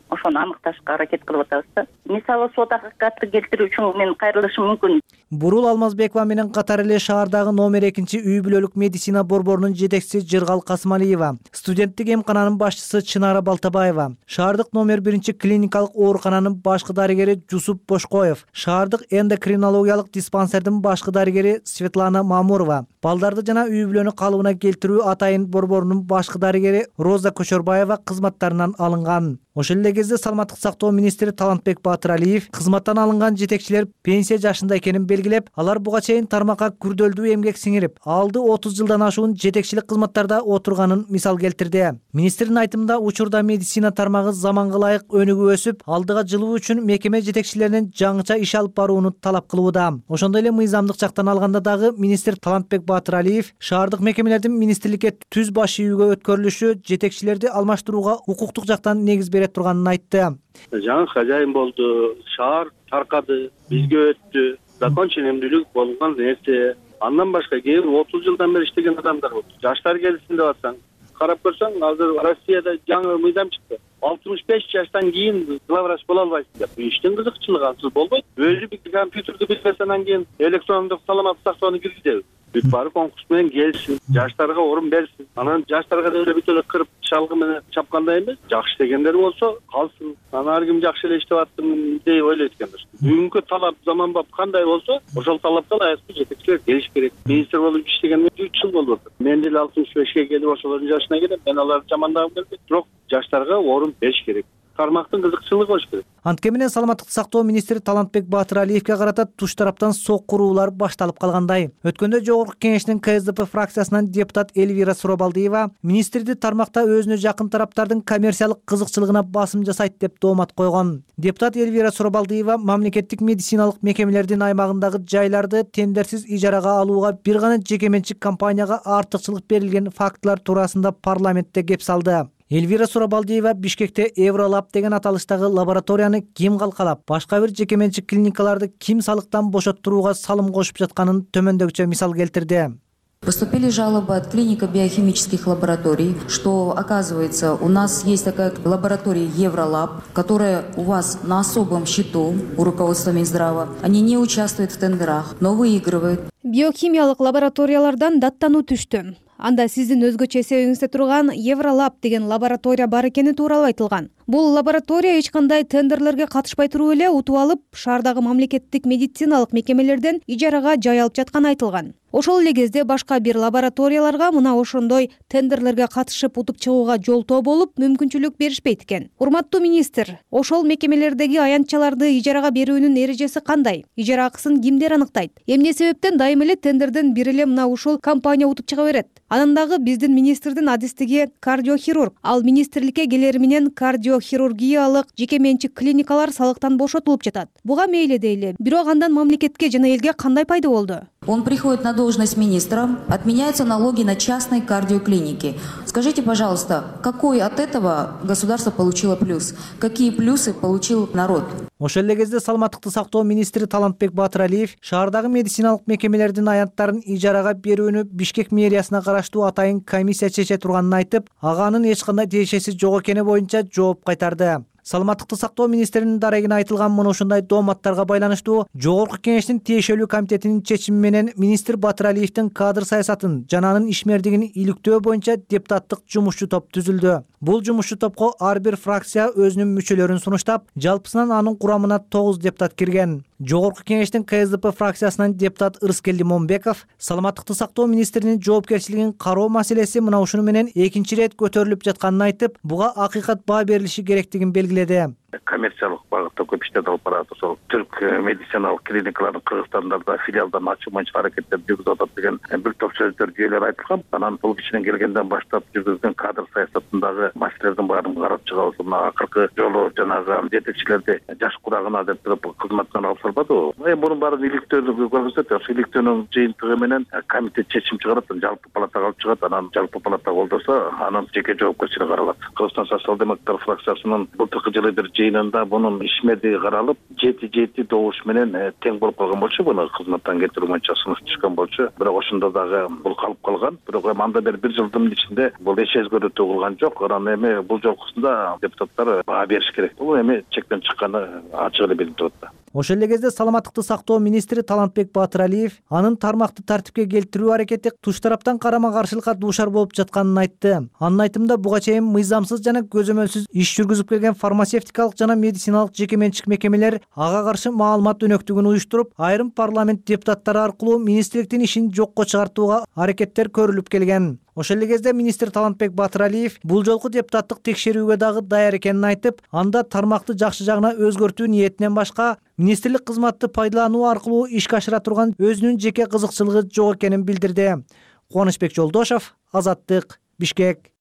ошону аныкташка аракет кылып атабыз да. Мисалы сот акыкатты келтирүү үчүн мен кайрылышым мүмкүн. Бурул Алмазбекова менен катар эле шаардагы номер экинчи үй бүлөлүк медицина борборунун жетекчиси Жыргал Касымалиева, студенттик эмкананын башчысы Чынара Балтабаева, шаардык номер биринчи клиникалык оорукананын башкы дарыгери Жусуп Бошкоев, шаардык эндокринологиялык диспансердин башкы дарыгери Светлана Мамурова, балдарды жана үй бүлөнү калыбына келтирүү атайын борборунун башкы дарыгери Роза Көчөрбаева кызматтарынан алынган. Ошол эле кезде саламаттык сактоо министри Талантбек Батыралиев кызматтан алынган жетекчилер пенсия жашында экенин белгилеп, алар буга чейин тармакка күрдөлдүү эмгек сиңирип, алды отуз жылдан ашуун жетекчилик кызматтарда отурганын мисал келтирди. Министрдин айтымында учурда медицина тармагы заманга ылайык өнүгүп өсүп, алдыга жылуу үчүн мекеме жетекчилеринен жаңыча иш алып барууну талап кылууда. Ошондой эле мыйзамдык жактан алганда дагы министр Талантбек Батыралиев шаардык мекемелердин министрликке түз баш үйгө өткөрүлүшү жетекчилерди алмаштырууга укуктук жактан негиз бере турганын айтты. Жаңы хожайын болду, шаар таркады, бизге өттү, закон ченемдүүлүк болгон нерсе. Андан башка кээ бир отуз жылдан бери иштеген адамдар болду. Жаштар келсин деп атсаң, карап көрсөң, азыр Россияда жаңы мыйзам чыкты. алтымыш беш жаштан кийин главврач боло албайсың деп. Иштин кызыкчылыгы ансыз болбойт. Өзү бир компьютерди билбесе, анан кийин электрондук саламаттык сактоону киргизеби? бүт баары конкурс менен келсин, жаштарга орун берсин. Анан жаштарга деле бүт эле кырып шалгы менен чапкандай эмес, жакшы дегендер болсо калсын. Анан ар ким жакшы эле иштеп аттым деп ойлойт экенбиз. Бүгүнкү талап заманбап кандай болсо, ошол талапка ылайыктуу жетекчилер келиш керек. Министр болуп иштегениме үч жыл болуп атат. Мен деле алтымыш бешке келип ошолордун жашына келем. Мен аларды жамандагым келбейт, бирок жаштарга орун бериш керек. Тармактын кызыкчылыгы болуш керек. Анткени менен саламаттыкты сактоо министри Талантбек Батыралиевге карата туш тараптан соккуруулар башталып калгандай. Өткөндө жогорку кеңештин Ка Эс Д П фракциясынан депутат Эльвира Сурабалдиева министрди тармакта өзүнө жакын тараптардын коммерциялык кызыкчылыгына басым жасайт деп доомат койгон. Депутат Эльвира Сурабалдиева мамлекеттик медициналык мекемелердин аймагындагы жайларды тендерсиз ижарага алууга бир гана жеке менчик компанияга артыкчылык берилген фактылар туурасында парламентте кеп салды. Эльвира Сурабалдиева Бишкекте Евролаб деген аталыштагы лабораторияны ким калкалап, башка бир жеке менчик клиникаларды ким салыктан бошоттурууга салым кошуп жатканын төмөндөгүчө мисал келтирди. Поступили жалобы от клинико-биохимических лабораторий, что, оказывается, у нас есть такая лаборатория Евролаб, которая у вас на особом счету у руководства Минздрава. Они не участвуют в тендерах, но выигрывают. Биохимиялык лабораториялардан даттануу түштү. Анда сиздин өзгөчө эсебиңизде турган Евролаб деген лаборатория бар экени тууралуу айтылган. Бул лаборатория эч кандай тендерлерге катышпай туруп эле утуп алып, шаардагы мамлекеттик медициналык мекемелерден ижарага жай алып жатканы айтылган. Ошол эле кезде башка бир лабораторияларга мына ошондой тендерлерге катышып утуп чыгууга жолтоо болуп, мүмкүнчүлүк беришпейт экен. Урматтуу министр, ошол мекемелердеги аянтчаларды ижарага берүүнүн эрежеси кандай? Ижара акысын кимдер аныктайт? Эмне себептен дайым эле тендерден бир эле мына ушул компания утуп чыга берет? Анан дагы биздин министрдин адистиги кардиохирург, ал министрликке келери менен кардиохирургиялык жеке менчик клиникалар салыктан бошотулуп жатат. Буга мейли дейли, бирок андан мамлекетке жана элге кандай пайда болду? Он приходит на должность министра, отменяются налоги на частные кардиоклиники. Скажите, пожалуйста, какой от этого государство получило плюс? Какие плюсы получил народ? Ошол эле кезде саламаттыкты сактоо министри Талантбек Батыралиев шаардагы медициналык мекемелердин аянттарын ижарага берүүнү Бишкек мэриясына караштуу атайын комиссия чече турганын айтып, ага анын эч кандай тиешеси жок экени боюнча жооп кайтарды. Саламаттыкты сактоо министринин дарегине айтылган мына ушундай дооматтарга байланыштуу жогорку кеңештин тиешелүү комитетинин чечими менен министр Батыралиевдин кадр саясатын жана анын ишмердигин иликтөө боюнча депутаттык жумушчу топ түзүлдү. Бул жумушчу топко ар бир фракция өзүнүн мүчөлөрүн сунуштап, жалпысынан анын курамына тогуз депутат кирген. Жогорку кеңештин Ка Эс Д П фракциясынан депутат Ырыскелди Момбеков саламаттыкты сактоо министринин жоопкерчилигин кароо маселеси мына ушуну менен экинчи ирет көтөрүлүп жатканын айтып, буга акыйкат баа берилиши керектигин белгиледи. Коммерциялык багытта көп иштер алып барат. Ошол түрк медициналык клиникалардын Кыргызстанда филиалдарын ачуу боюнча аракеттер жүргүзүп атат деген бир топ сөздөр жүйөлөр айтылган. Анан бул кишинен келгенден баштап жүргүзгөн кадр саясатындагы маселелердин баарын карап чыгабыз. Мына акыркы жолу жанагы жетекчилерди жаш курагына деп туруп кызматтан алып салбадыбы? Эми мунун баарын иликтөөнү көргөзөт. Ошол иликтөөнүн жыйынтыгы менен комитет чечим чыгарат, жалпы палатага алып чыгат. Анан жалпы палата колдосо, анын жеке жоопкерчилиги каралат. Кыргызстан социал-демократтар фракциясынын былтыркы жылы бир жыйынында бунун ишмердиги каралып, жети жети добуш менен тең болуп калган болчу. Буну кызматтан кетирүү боюнча сунуш түшкөн болчу. Бирок ошондо дагы бул калып калган. Бирок эми анда бери бир жылдын ичинде бул эч өзгөрүү кылган жок. Анан эми бул жолкусунда депутаттар баа бериш керек. Бул эми чектен чыкканы ачык эле билинип турат. Ошол эле кезде саламаттыкты сактоо министри Талантбек Батыралиев анын тармакты тартипке келтирүү аракети туш тараптан карама-каршылыкка дуушар болуп жатканын айтты. Анын айтымында буга чейин мыйзамсыз жана көзөмөлсүз иш жүргүзүп келген фармацевтикалык жана медициналык жеке менчик мекемелер ага каршы маалымат өнөктүгүн уюштуруп, айрым парламент депутаттары аркылуу министрликтин ишин жокко чыгартууга аракеттер көрүлүп келген. Ошол эле кезде министр Талантбек Батыралиев бул жолку депутаттык текшерүүгө дагы даяр экенин айтып, анда тармакты жакшы жагына өзгөртүү ниетинен башка министрлик кызматты пайдалануу аркылуу ишке ашыра турган өзүнүн жеке кызыкчылыгы жок экенин билдирди. Кубанычбек Жолдошов, Азаттык, Бишкек.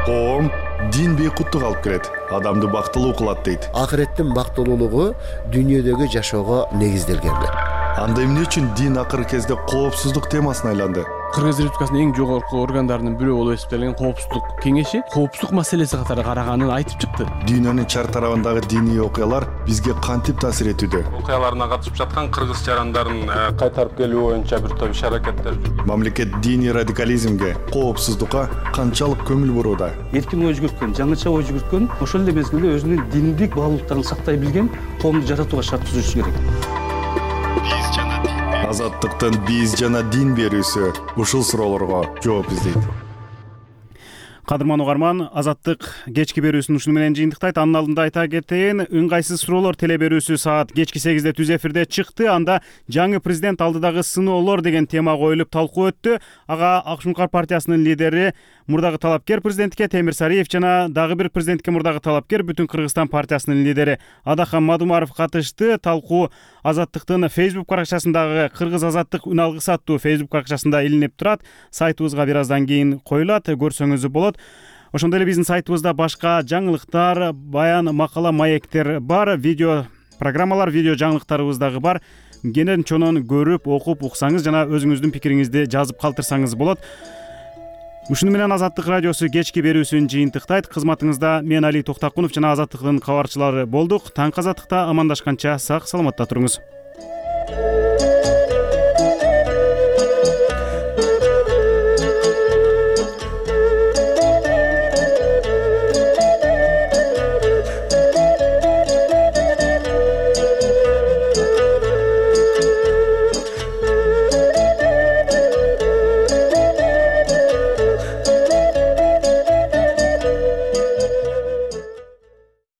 Коом дин бейкуттук алып келет, адамды бактылуу кылат дейт. Акыреттин бактылуулугу дүйнөдөгү жашоого негизделген. Анда эмне үчүн дин акыркы кезде коопсуздук темасына айланды? Кыргыз Республикасынын эң жогорку органдарынын бирөө болуп эсептелген коопсуздук кеңеши коопсуздук маселеси катары караганын айтып чыкты. Дүйнөнүн чар тарабындагы диний окуялар бизге кантип таасир этүүдө? Окуяларына катышып жаткан кыргыз жарандарын кайтарып келүү боюнча бир топ иш-аракеттер жүргүзүлөт. Мамлекет диний радикализмге, коопсуздукка канчалык көңүл бурууда? Эркин ой жүгүрткөн, жаңыча ой жүгүрткөн, ошол эле мезгилде өзүнүн диндик баалуулуктарын сактай билген коомду жаратууга шарт түзүшү керек. азаттыктын биз жана дин берүүсү ушул суроолорго жооп издейт. Кадырман угарман, Азаттык кечки берүүсүн ушуну менен жыйынтыктайт. Анын алдында айта кетейин, ыңгайсыз суроолор теле берүүсү саат кечки сегизде түз эфирде чыкты. Анда жаңы президент алдыдагы сыноолор деген тема коюлуп талкуу өттү. Ага Ак Шуңкар партиясынын лидери, мурдагы талапкер президентке Темир Сариев жана дагы бир президентке мурдагы талапкер Бүтүн Кыргызстан партиясынын лидери Адахан Мадумаров катышты. Талкуу Азаттыктын Facebook баракчасындагы Кыргыз Азаттык үн алгысы аттуу Facebook баракчасында илинип турат. Сайтыбызга бир аздан кийин коюлат, көрсөңүз болот. Ошондой эле биздин сайтыбызда башка жаңылыктар, баян, макала, маектер бар, видео программалар, видео жаңылыктарыбыз дагы бар. Кенен чонон көрүп, окуп, уксаңыз жана өзүңүздүн пикириңизди жазып калтырсаңыз болот. Ушуну менен Азаттык радиосу кечки берүүсүн жыйынтыктайт. Кызматыңызда мен Али Токтакунов жана Азаттыктын кабарчылары болдук. Таң Азаттыкта амандашканча сак саламатта туруңуз.